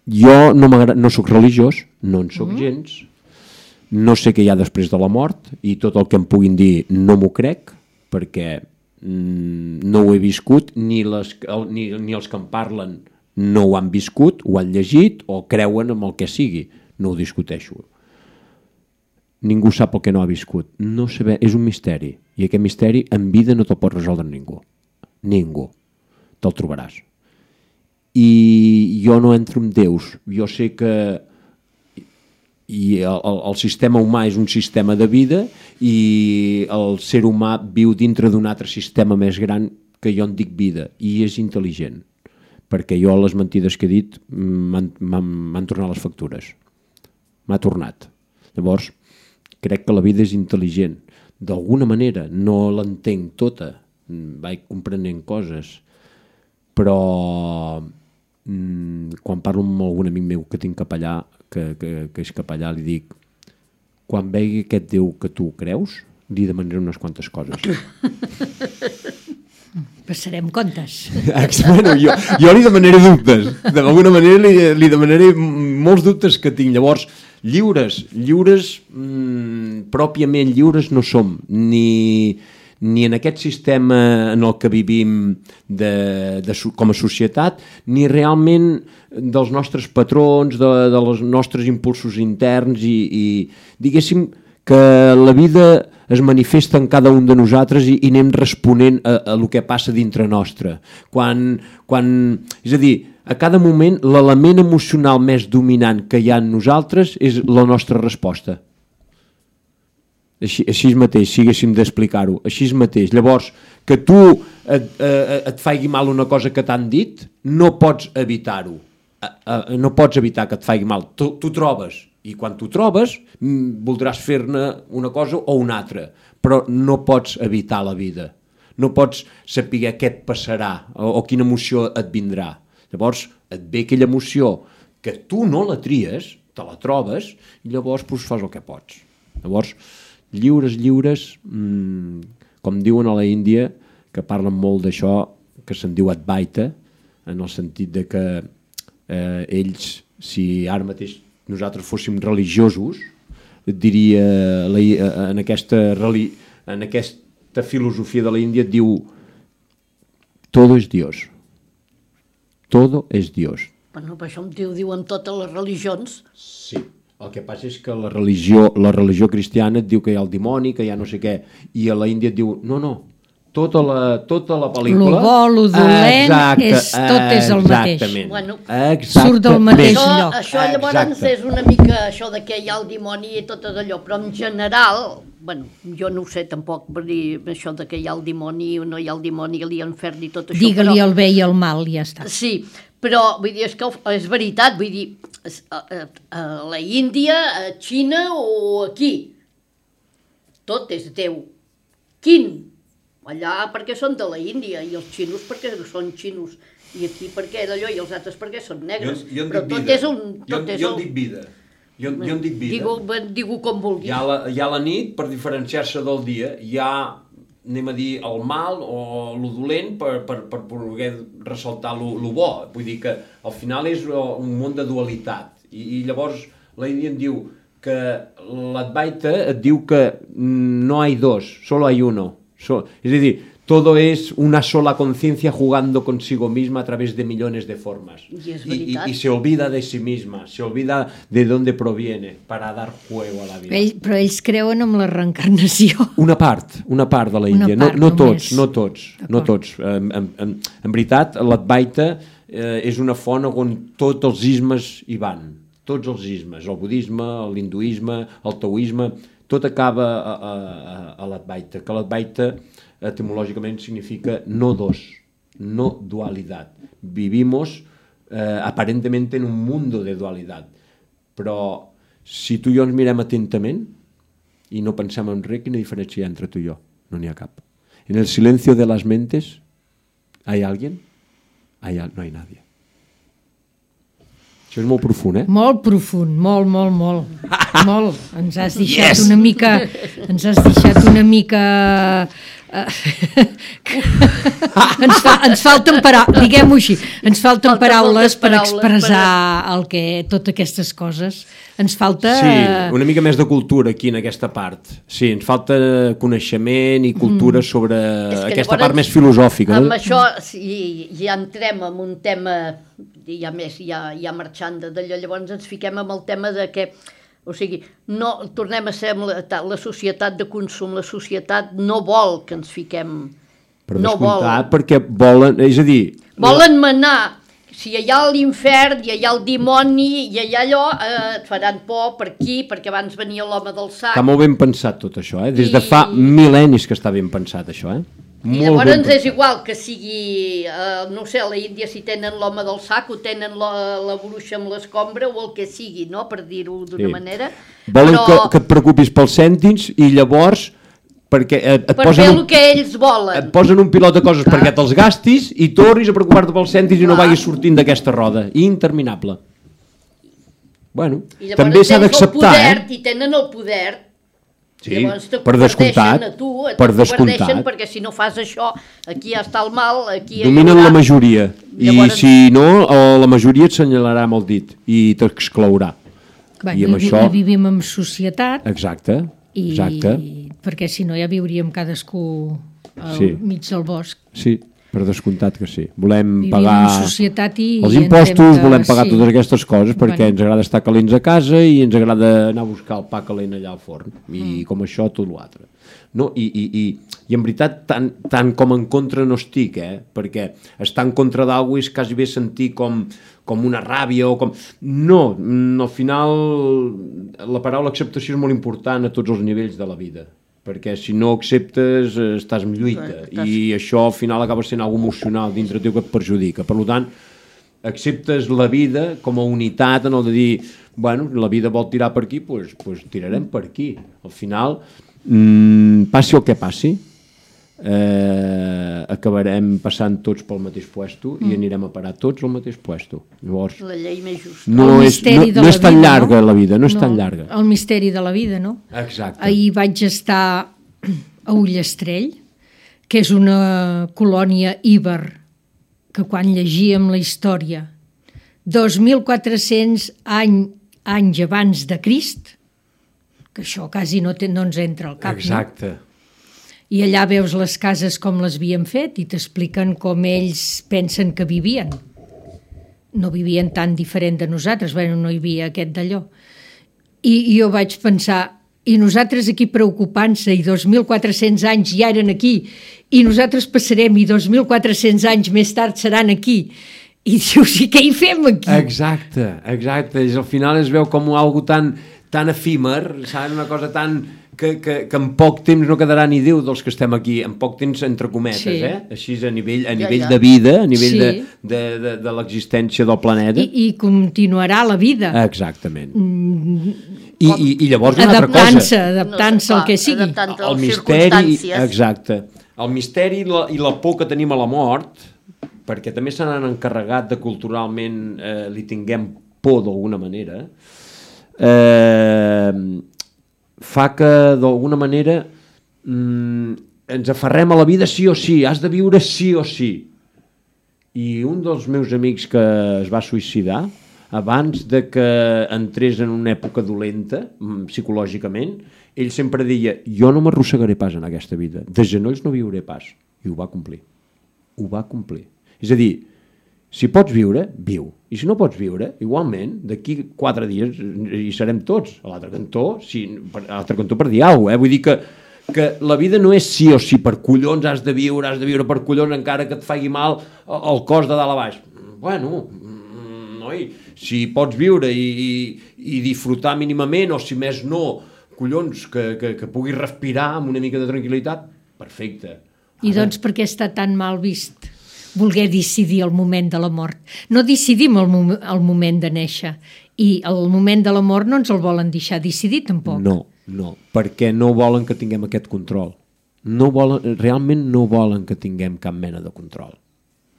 Jo no, no soc religiós, no en soc mm. gens, no sé què hi ha després de la mort i tot el que em puguin dir no m'ho crec perquè mm, no ho he viscut, ni, les, ni, ni els que em parlen no ho han viscut, ho han llegit o creuen en el que sigui, no ho discuteixo. Ningú sap el que no ha viscut, no saber, és un misteri i aquest misteri en vida no te'l pot resoldre ningú, ningú, te'l trobaràs. I jo no entro en déus, jo sé que i el, el sistema humà és un sistema de vida i el ser humà viu dintre d'un altre sistema més gran que jo en dic vida i és intel·ligent, perquè jo les mentides que he dit m'han tornat les factures, m'ha tornat. Llavors, crec que la vida és intel·ligent, d'alguna manera, no l'entenc tota, vaig comprenent coses, però mm, quan parlo amb algun amic meu que tinc capellà, que, que, que és capellà, li dic, quan vegi aquest Déu que tu creus, li demanaré unes quantes coses. Passarem comptes. Bueno, jo, jo li demanaré dubtes, d'alguna manera li, li demanaré molts dubtes que tinc. Llavors, lliures, lliures, mmm, pròpiament lliures no som, ni... ni en aquest sistema en el que vivim de, de, com a societat, ni realment dels nostres patrons, de, de els nostres impulsos interns i, i diguéssim que la vida es manifesta en cada un de nosaltres i, i anem responent a, a el que passa dintre nostre. Quan, quan, és a dir, a cada moment l'element emocional més dominant que hi ha en nosaltres és la nostra resposta. Així, així mateix, si haguéssim d'explicar-ho, així mateix. Llavors, que tu et, eh, et faci mal una cosa que t'han dit, no pots evitar-ho. Eh, eh, no pots evitar que et faci mal. Tu, tu trobes, i quan tu trobes voldràs fer-ne una cosa o una altra, però no pots evitar la vida. No pots saber què et passarà o, o quina emoció et vindrà. Llavors et ve aquella emoció que tu no la tries, te la trobes, i llavors pues, fas el que pots. Llavors, lliures, lliures, mmm, com diuen a la Índia, que parlen molt d'això, que se'n diu Advaita, en el sentit de que eh, ells, si ara mateix nosaltres fóssim religiosos, et diria, la, en, aquesta, en aquesta filosofia de la Índia et diu todo es Dios. Todo es Dios. Bueno, per això ho diuen totes les religions. Sí, el que passa és que la religió, la religió cristiana et diu que hi ha el dimoni, que hi ha no sé què, i a la Índia et diu, no, no, tota la, tota la pel·lícula... Lo bo, lo dolent, exacte, és, tot és el mateix. Exactament. Bueno, surt del mateix això, lloc. Això llavors exacte. És una mica això de que hi ha el dimoni i tot allò, però en general, bueno, jo no ho sé tampoc per dir això de que hi ha el dimoni o no hi ha el dimoni, l'infern i tot això. Digue-li però... el bé i el mal, ja està. Sí, però vull dir, és que és veritat, vull dir, a, a, a la Índia, a Xina o aquí, tot és Déu. Quin? Allà perquè són de la Índia i els xinos perquè són xinos i aquí perquè d'allò i els altres perquè són negres. Jo, jo però tot vida. és un... Tot jo, és jo un... en dic vida. Jo, jo en dic vida. Digo, digo com vulguis. Hi ha, la, hi ha la nit per diferenciar-se del dia. Hi ha, anem a dir, el mal o el dolent per, per, per poder ressaltar el bo. Vull dir que al final és un món de dualitat. I, i llavors la Índia em diu que l'Advaita et diu que no hay dos, solo hay uno. So, es decir, todo es una sola conciencia jugando consigo misma a través de millones de formas. Y, es y, y, y se olvida de sí misma, se olvida de dónde proviene para dar juego a la vida. Ell, però ells creuen en la reencarnació. Una part, una part de la Índia, no, no tots, no tots, no tots. En, en, en veritat, l'Advaita eh, és una font on tots els ismes hi van, tots els ismes, el budisme, l'hinduisme, el taoisme, tot acaba a, a, a l'Advaita, que l'Advaita etimològicament significa no dos, no dualidad. Vivimos eh, aparentemente en un mundo de dualidad, però si tu i jo ens mirem atentament i no pensem en res, quina diferència hi ha entre tu i jo? No n'hi ha cap. En el silencio de las mentes, ¿hay alguien? Hay, no hay nadie. Això és molt profund, eh? Molt profund, molt, molt, molt. Molt. Ens has deixat yes! una mica... Ens has deixat una mica... Uh, ens, fa, ens falten paraules, diguem-ho així, ens falten, falten paraules per paraules expressar per... el que, totes aquestes coses. Ens falta... Sí, una mica més de cultura aquí en aquesta part. Sí, ens falta coneixement i cultura mm. sobre aquesta llavors, part més filosòfica. Amb això si ja entrem en un tema, ja més, ja, ja marxant d'allò, llavors ens fiquem amb el tema de que o sigui, no, tornem a ser la, la societat de consum, la societat no vol que ens fiquem... Per no descomptat, vol. Perquè volen, és a dir... Volen manar, si hi ha l'infern, hi ha el dimoni, i hi ha allò, eh, et faran por per aquí, perquè abans venia l'home del sac... Està molt ben pensat tot això, eh? Des I... de fa mil·lennis que està ben pensat això, eh? I llavors és igual que sigui, eh, no sé, a la Índia si tenen l'home del sac o tenen la, la bruixa amb l'escombra o el que sigui, no?, per dir-ho d'una sí. manera. Volen però... que, que et preocupis pels cèntims i llavors perquè et, et per posen fer un, el que ells volen. Et posen un pilot de coses Clar. perquè te'ls gastis i tornis a preocupar-te pels cèntims i no vagis sortint d'aquesta roda. Interminable. Bueno, també s'ha d'acceptar, eh? I tenen el poder. Sí, per descomptat, a tu, per descomptat. Perquè si no fas això, aquí ja està el mal, aquí... Dominen la majoria, llavors... i si no, la majoria et senyalarà amb el dit i t'exclourà. Bueno, I, amb això... i vivim en societat. Exacte, exacte. I... perquè si no ja viuríem cadascú al sí. mig del bosc. Sí, per descomptat que sí. Volem Vivim pagar en societat i els ens impostos, hem de- volem pagar sí. totes aquestes coses perquè Bueno. ens agrada estar calents a casa i ens agrada anar a buscar el pa calent allà al forn. I Mm. com això, tot l'altre. No? I, i, i, I en veritat, tant, tant com en contra no estic, eh? Perquè estar en contra d'algú és quasi bé sentir com, com una ràbia o com... No, mm, al final la paraula acceptació és molt important a tots els nivells de la vida, perquè si no acceptes eh, estàs en lluita i això al final acaba sent algo emocional dintre teu que et perjudica. Per tant, acceptes la vida com a unitat en el de dir, bueno, la vida vol tirar per aquí, doncs, doncs tirarem per aquí. Al final, mmm, passi el que passi, eh, acabarem passant tots pel mateix puesto mm. i anirem a parar tots al mateix puesto. Llavors, La llei més justa. no, El és, misteri no, de no la és tan vida, llarga no? la vida, no és No, tan llarga. El misteri de la vida, no? Exacte. Ahir vaig estar a Ullastrell, que és una colònia íber, que quan llegíem la història, dos mil quatre-cents any, anys abans de Crist, que això quasi no, te, no ens entra al cap, Exacte. no? I allà veus les cases com les havien fet i t'expliquen com ells pensen que vivien. No vivien tan diferent de nosaltres, bueno, no hi havia aquest d'allò. I, I jo vaig pensar, i nosaltres aquí preocupant-se, i dos mil quatre-cents anys ja eren aquí, i nosaltres passarem, i dos mil quatre-cents anys més tard seran aquí. I dius, i què hi fem aquí? Exacte, exacte. És, al final es veu com algo tan, tan efímer, saps? Una cosa tan... Que, que, que en poc temps no quedarà ni Déu dels que estem aquí, en poc temps entre cometes, Sí. eh? Així a nivell, a Ja, nivell ja. de vida, a nivell Sí. de, de, de, de l'existència del planeta. I, I continuarà la vida. Exactament. I, i, I llavors una altra Adaptant-se, cosa. adaptant-se al que sigui. Adaptant-te a El les misteri, circumstàncies. exacte. El misteri i la, i la por que tenim a la mort, perquè també se n'han encarregat de culturalment eh, li tinguem por d'alguna manera, eh, fa que d'alguna manera mm, ens aferrem a la vida sí o sí, has de viure sí o sí. I un dels meus amics que es va suïcidar abans de que entrés en una època dolenta mm, psicològicament, ell sempre deia, jo no m'arrossegaré pas en aquesta vida, de genolls no viuré pas, i ho va complir, ho va complir. És a dir, si pots viure, viu. I si no pots viure, igualment, d'aquí quatre dies hi serem tots. A l'altre cantó, sí, a l'altre cantó per dir alguna cosa, eh? Vull dir que, que la vida no és sí o sí, per collons has de viure, has de viure per collons, encara que et faci mal el cos de dalt a baix. Bueno, noi, si pots viure i, i, i disfrutar mínimament, o si més no, collons, que, que, que puguis respirar amb una mica de tranquil·litat, perfecte. I doncs per què està tan mal vist voler decidir el moment de la mort? No decidim el, mom el moment de néixer, i el moment de la mort no ens el volen deixar decidir tampoc. No, no, perquè no volen que tinguem aquest control. No volen, realment no volen que tinguem cap mena de control,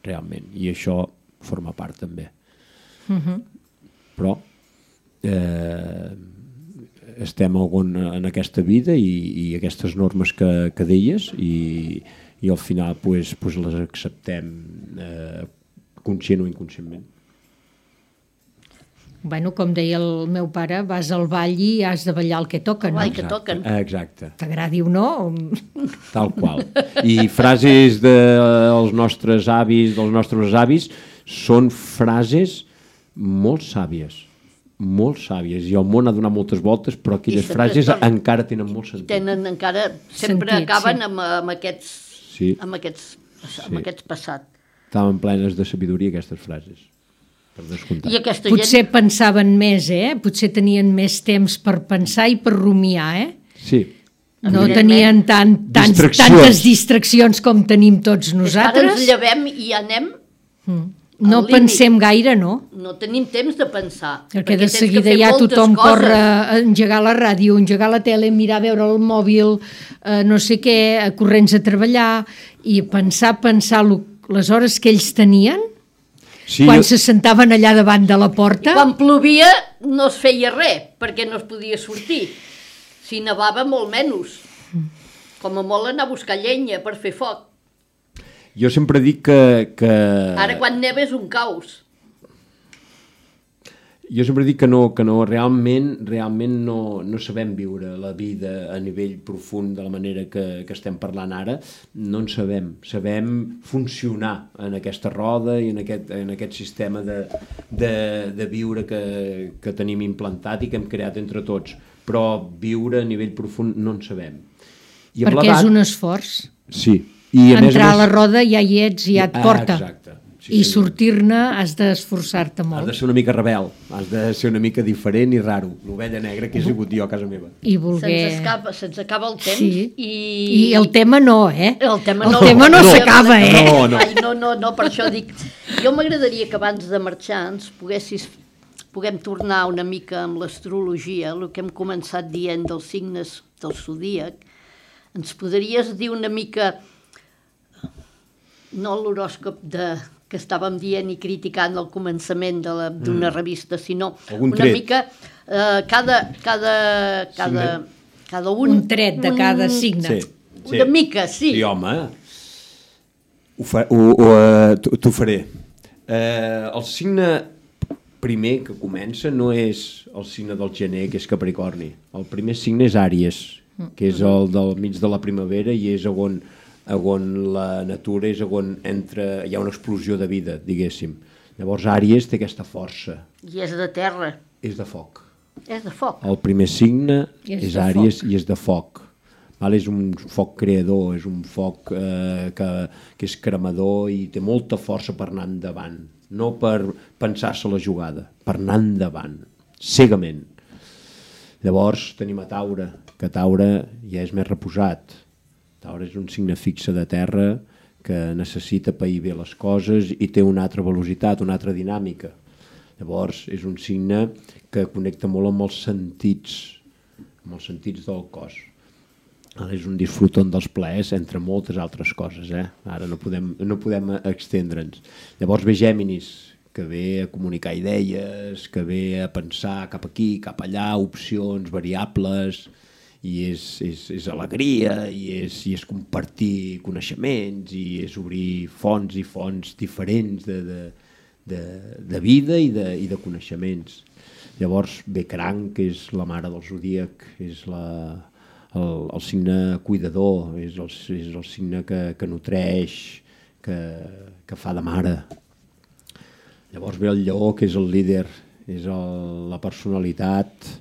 realment, i això forma part també. Uh -huh. Però eh, estem algun, en aquesta vida i, i aquestes normes que, que deies i, i al final pues, pues les acceptem eh, conscient o inconscientment. Bueno, com deia el meu pare, vas al ball i has de ballar el que toca, no? El que toquen. Exacte. T'agradi o no? Tal qual. I frases dels nostres avis, dels nostres avis, són frases molt sàvies, molt sàvies, i el món ha donat moltes voltes, però aquelles frases estan, encara tenen molt sentit. Tenen encara, sempre Sentit, acaben sí. amb, amb aquests, Sí. amb aquests, amb Sí. aquests passat. Estaven plenes de sabidoria aquestes frases, per descomptat. I aquesta Potser gent... pensaven més, eh? Potser tenien més temps per pensar i per rumiar, eh? Sí. No Evidentment. tenien tant, tants, Distraccions. tantes distraccions com tenim tots Ara ens nosaltres. llevem i anem... No al límit. pensem gaire, no? No tenim temps de pensar. Perquè de tens que seguida fer ja moltes tothom coses. corre a engegar la ràdio, engegar la tele, mirar, veure el mòbil, eh, no sé què, a corrents a treballar, i pensar, pensar lo, les hores que ells tenien, Sí, quan jo- se sentaven allà davant de la porta. Quan plovia no es feia res, perquè no es podia sortir. Si nevava, molt menys. Com a molt anar a buscar llenya per fer foc. Jo sempre dic que... que... Ara quan neva és un caos. Jo sempre dic que no, que no realment, realment no, no sabem viure la vida a nivell profund de la manera que, que estem parlant ara, no en sabem. Sabem funcionar en aquesta roda i en aquest, en aquest sistema de, de, de viure que, que tenim implantat i que hem creat entre tots, però viure a nivell profund no en sabem. I perquè és un esforç. Sí. I a entrar més a, més... a la roda ja hi ets, ja et porta. Ah, exacte. Sí, i sí. sortir-ne has d'esforçar-te molt. Has de ser una mica rebel, has de ser una mica diferent i raro, l'ovella negra que he sigut jo a casa meva. I voler... Se'ns acaba, se'ns acaba el temps sí. i... I el tema no, eh? El tema el no, tema no, no s'acaba, eh? No, no. Ai, no, no, no, per això dic... Jo m'agradaria que abans de marxar ens poguessis, puguem tornar una mica amb l'astrologia, el que hem començat dient dels signes del zodíac. Ens podries dir una mica... No l'horòscop de... que estàvem dient i criticant al començament d'una mm. revista, sinó Algun una tret. mica eh, cada, cada, cada, cada un... Un tret de cada un, signe. Sí, sí. Una mica, sí. Sí, home. Ho, fa, ho, ho, uh, t'ho faré. Uh, el signe primer que comença no és el signe del gener, que és Capricorni. El primer signe és Àries, que és el del mig de la primavera i és on... on la natura és on entra, hi ha una explosió de vida, diguéssim. Llavors Àries té aquesta força. I és de terra. És de foc. És de foc. El primer signe és, és Àries i és de foc. Val? És un foc creador, és un foc eh, que, que és cremador i té molta força per anar endavant. No per pensar-se la jugada, per anar endavant, cegament. Llavors tenim a Taure, que Taure ja és més reposat. Taure és un signe fixe de terra que necessita pair bé les coses i té una altra velocitat, una altra dinàmica. Llavors és un signe que connecta molt amb els sentits, amb els sentits del cos. Ara és un disfruton dels plaers entre moltes altres coses, eh? Ara no podem, no podem extendre'ns. Llavors ve Gèminis, que ve a comunicar idees, que ve a pensar cap aquí, cap allà, opcions, variables... i és, és, és alegria, i és, i és compartir coneixements, i és obrir fonts i fonts diferents de, de, de, de vida i de, i de coneixements. Llavors ve Cranc, que és la mare del zodíac, és la, el, el signe cuidador, és el, és el signe que, que nutreix, que, que fa de mare. Llavors ve el Lleó, que és el líder, és el, la personalitat,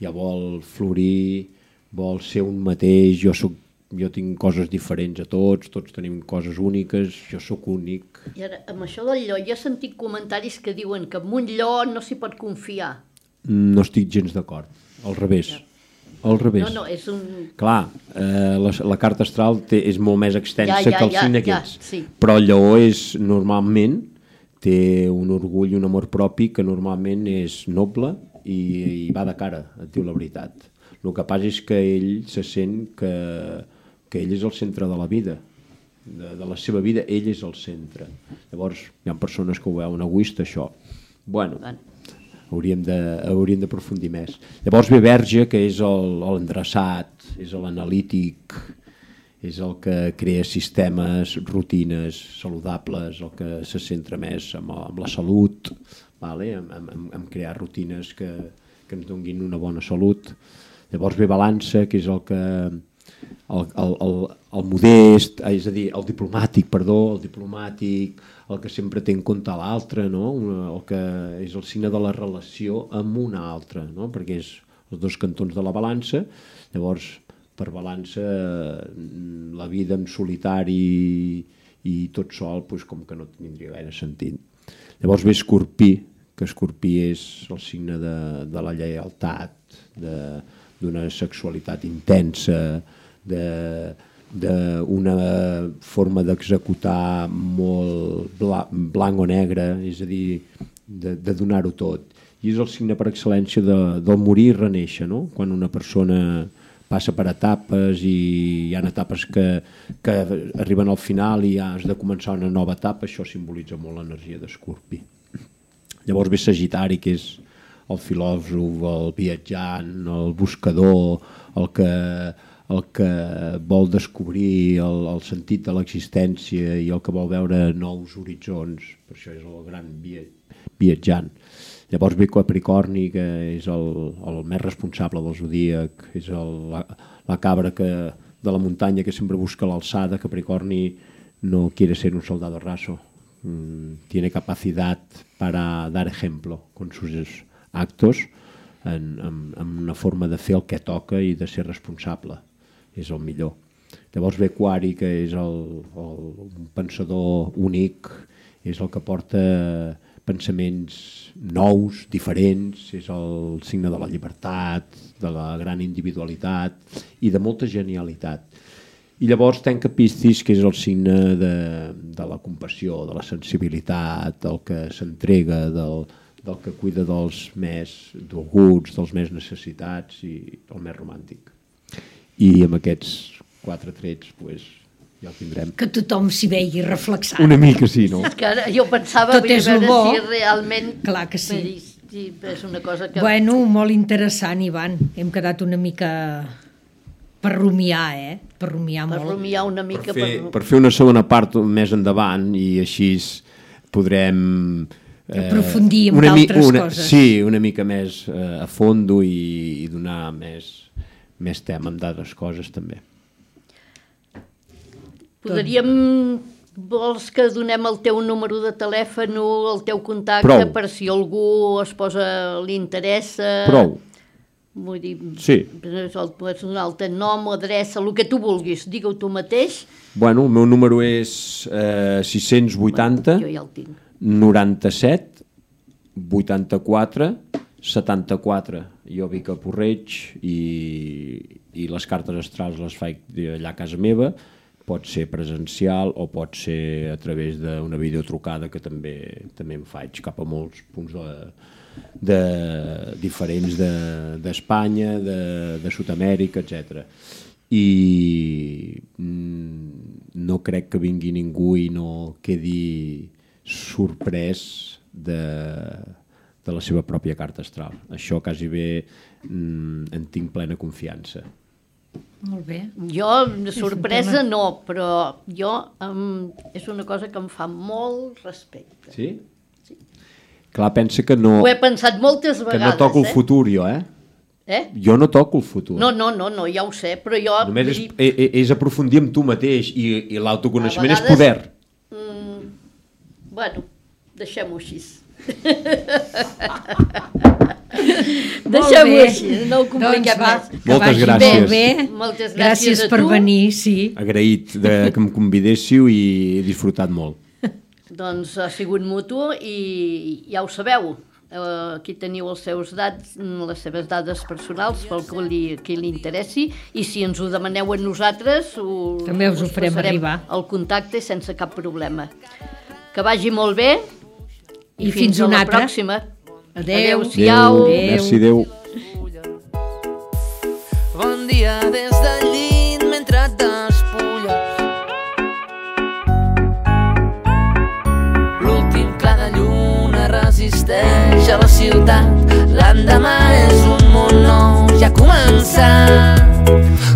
ja vol florir, vol ser un mateix, jo, soc, jo tinc coses diferents a tots, tots tenim coses úniques, jo sóc únic. I ara, amb això del lleó, jo he sentit comentaris que diuen que amb un lleó no s'hi pot confiar. No estic gens d'acord, al revés. Ja. Al revés. No, no, és un... Clar, eh, la, la carta astral té, és molt més extensa ja, ja, que el ja, signe ja, aquests, sí. Però el lleó és normalment, té un orgull i un amor propi que normalment és noble i, i va de cara, et diu la veritat. El que passa és que ell se sent que, que ell és el centre de la vida, de, de la seva vida, ell és el centre. Llavors, hi ha persones que ho veuen egoista, això. Bueno, hauríem de, hauríem d'aprofundir més. Llavors ve Verge, que és l'endreçat, és l'analític, és el que crea sistemes, rutines saludables, el que se centra més en, en la salut, vale? en, en, en crear rutines que, que ens donguin una bona salut. Llavors ve Balança, que és el que el, el, el, el modest, és a dir, el diplomàtic, perdó, el diplomàtic, el que sempre té en compte l'altre, no? El que és el signe de la relació amb un altre, no? Perquè és els dos cantons de la balança. Llavors, per Balança, la vida en solitari i tot sol, doncs, com que no tindria gaire sentit. Llavors ve Escorpí, que Escorpí és el signe de, de la lleialtat, de d'una sexualitat intensa, d'una forma d'executar molt bla, blanc o negre, és a dir, de, de donar-ho tot. I és el signe per excel·lència de, del morir i reneixer, no? Quan una persona passa per etapes i hi ha etapes que, que arriben al final i ja has de començar una nova etapa, això simbolitza molt l'energia d'Escorpí. Llavors ve Sagitari, que és el filòsof, el viatjant, el buscador, el que, el que vol descobrir el, el sentit de l'existència i el que vol veure nous horitzons, per això és el gran viatjant. Llavors ve Capricorni, que és el, el més responsable del zodíac, és el, la, la cabra que, de la muntanya que sempre busca l'alçada. Capricorni no quiere ser un soldado raso, mm, tiene capacidad para dar ejemplo con sus actos, en, en, en una forma de fer el que toca i de ser responsable, és el millor. Llavors ve Aquari, que és el, el, un pensador únic, és el que porta pensaments nous, diferents, és el signe de la llibertat, de la gran individualitat i de molta genialitat. I llavors tanca Piscis, que és el signe de, de la compassió, de la sensibilitat, del que s'entrega, del, del que cuida dels més dolguts, dels més necessitats i el més romàntic. I amb aquests quatre trets, doncs, ja el tindrem. Que tothom s'hi vegi reflexat. Una mica sí, no? És que ara jo pensava Tot és veure bo. si realment... Clar que sí. Sí, és una cosa que... Bueno, molt interessant, Ivan. Hem quedat una mica per rumiar, eh? Per rumiar per molt. rumiar una mica... Per fer, per fer una segona part més endavant i així podrem... Eh, aprofundir en una d'altres una, coses. Sí, una mica més eh, a fondo i, i donar més, més tema amb d'altres coses també. Podríem... Vols que donem el teu número de telèfon, el teu contacte, Prou. per si algú es posa, li interessa? Prou. Vull dir, Sí. el pots donar el teu nom, adreça, el que tu vulguis, digue-ho tu mateix. Bueno, el meu número és eh, sis-cents vuitanta, Jo ja el tinc. noranta-set, vuitanta-quatre, setanta-quatre. Jo vic a Porreig i, i les cartes astrals les faig allà a casa meva. Pot ser presencial o pot ser a través d'una videotrucada que també també em faig cap a molts punts de, de, diferents d'Espanya, de, de, de Sud-amèrica, etcètera. I mm, no crec que vingui ningú i no quedi sorprès de, de la seva pròpia carta astral. Això quasi bé mm, en tinc plena confiança. Molt bé. Jo, de sorpresa no, però jo um, és una cosa que em fa molt respecte. Sí? Sí. Clar, pensa que no... Ho he pensat moltes vegades, que no toco el eh? futur, jo, eh? Eh? Jo no toco el futur. No, no, no, no, ja ho sé, però jo... Només és, dir, és, és aprofundir amb tu mateix i, i l'autoconeixement a és vegades, poder. Mm, bueno, deixem-ho així. Deixem-ho així, no ho compliquem doncs va, més. que Moltes vagi gràcies. Molt bé. Moltes gràcies gràcies a per tu. venir, sí. Agraït de, que em convidéssiu i he disfrutat molt. Doncs ha sigut mutu i ja ho sabeu. Uh, aquí teniu els seus dats, les seves dades personals pel que li, qui li interessi, i si ens ho demaneu a nosaltres ho, També us ho farem passarem arribar. el contacte sense cap problema. Que vagi molt bé i, I fins fins a una la altra. pròxima. Adéu. Adéu-siau. Adéu. Merci, adéu. Bon dia des del llit mentre et despulles. L'últim clar de lluna resisteix a la ciutat. L'endemà és un món nou, ja ha començat.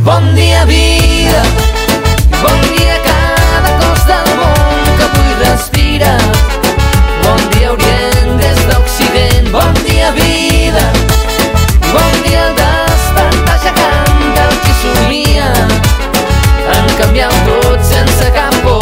Bon dia, vida, bon dia cada cos del món que avui respira. Bon dia, Orient des d'Occident, bon dia, vida. Bon dia, el despertar ja canta el qui somia en canviar tot sense cap por.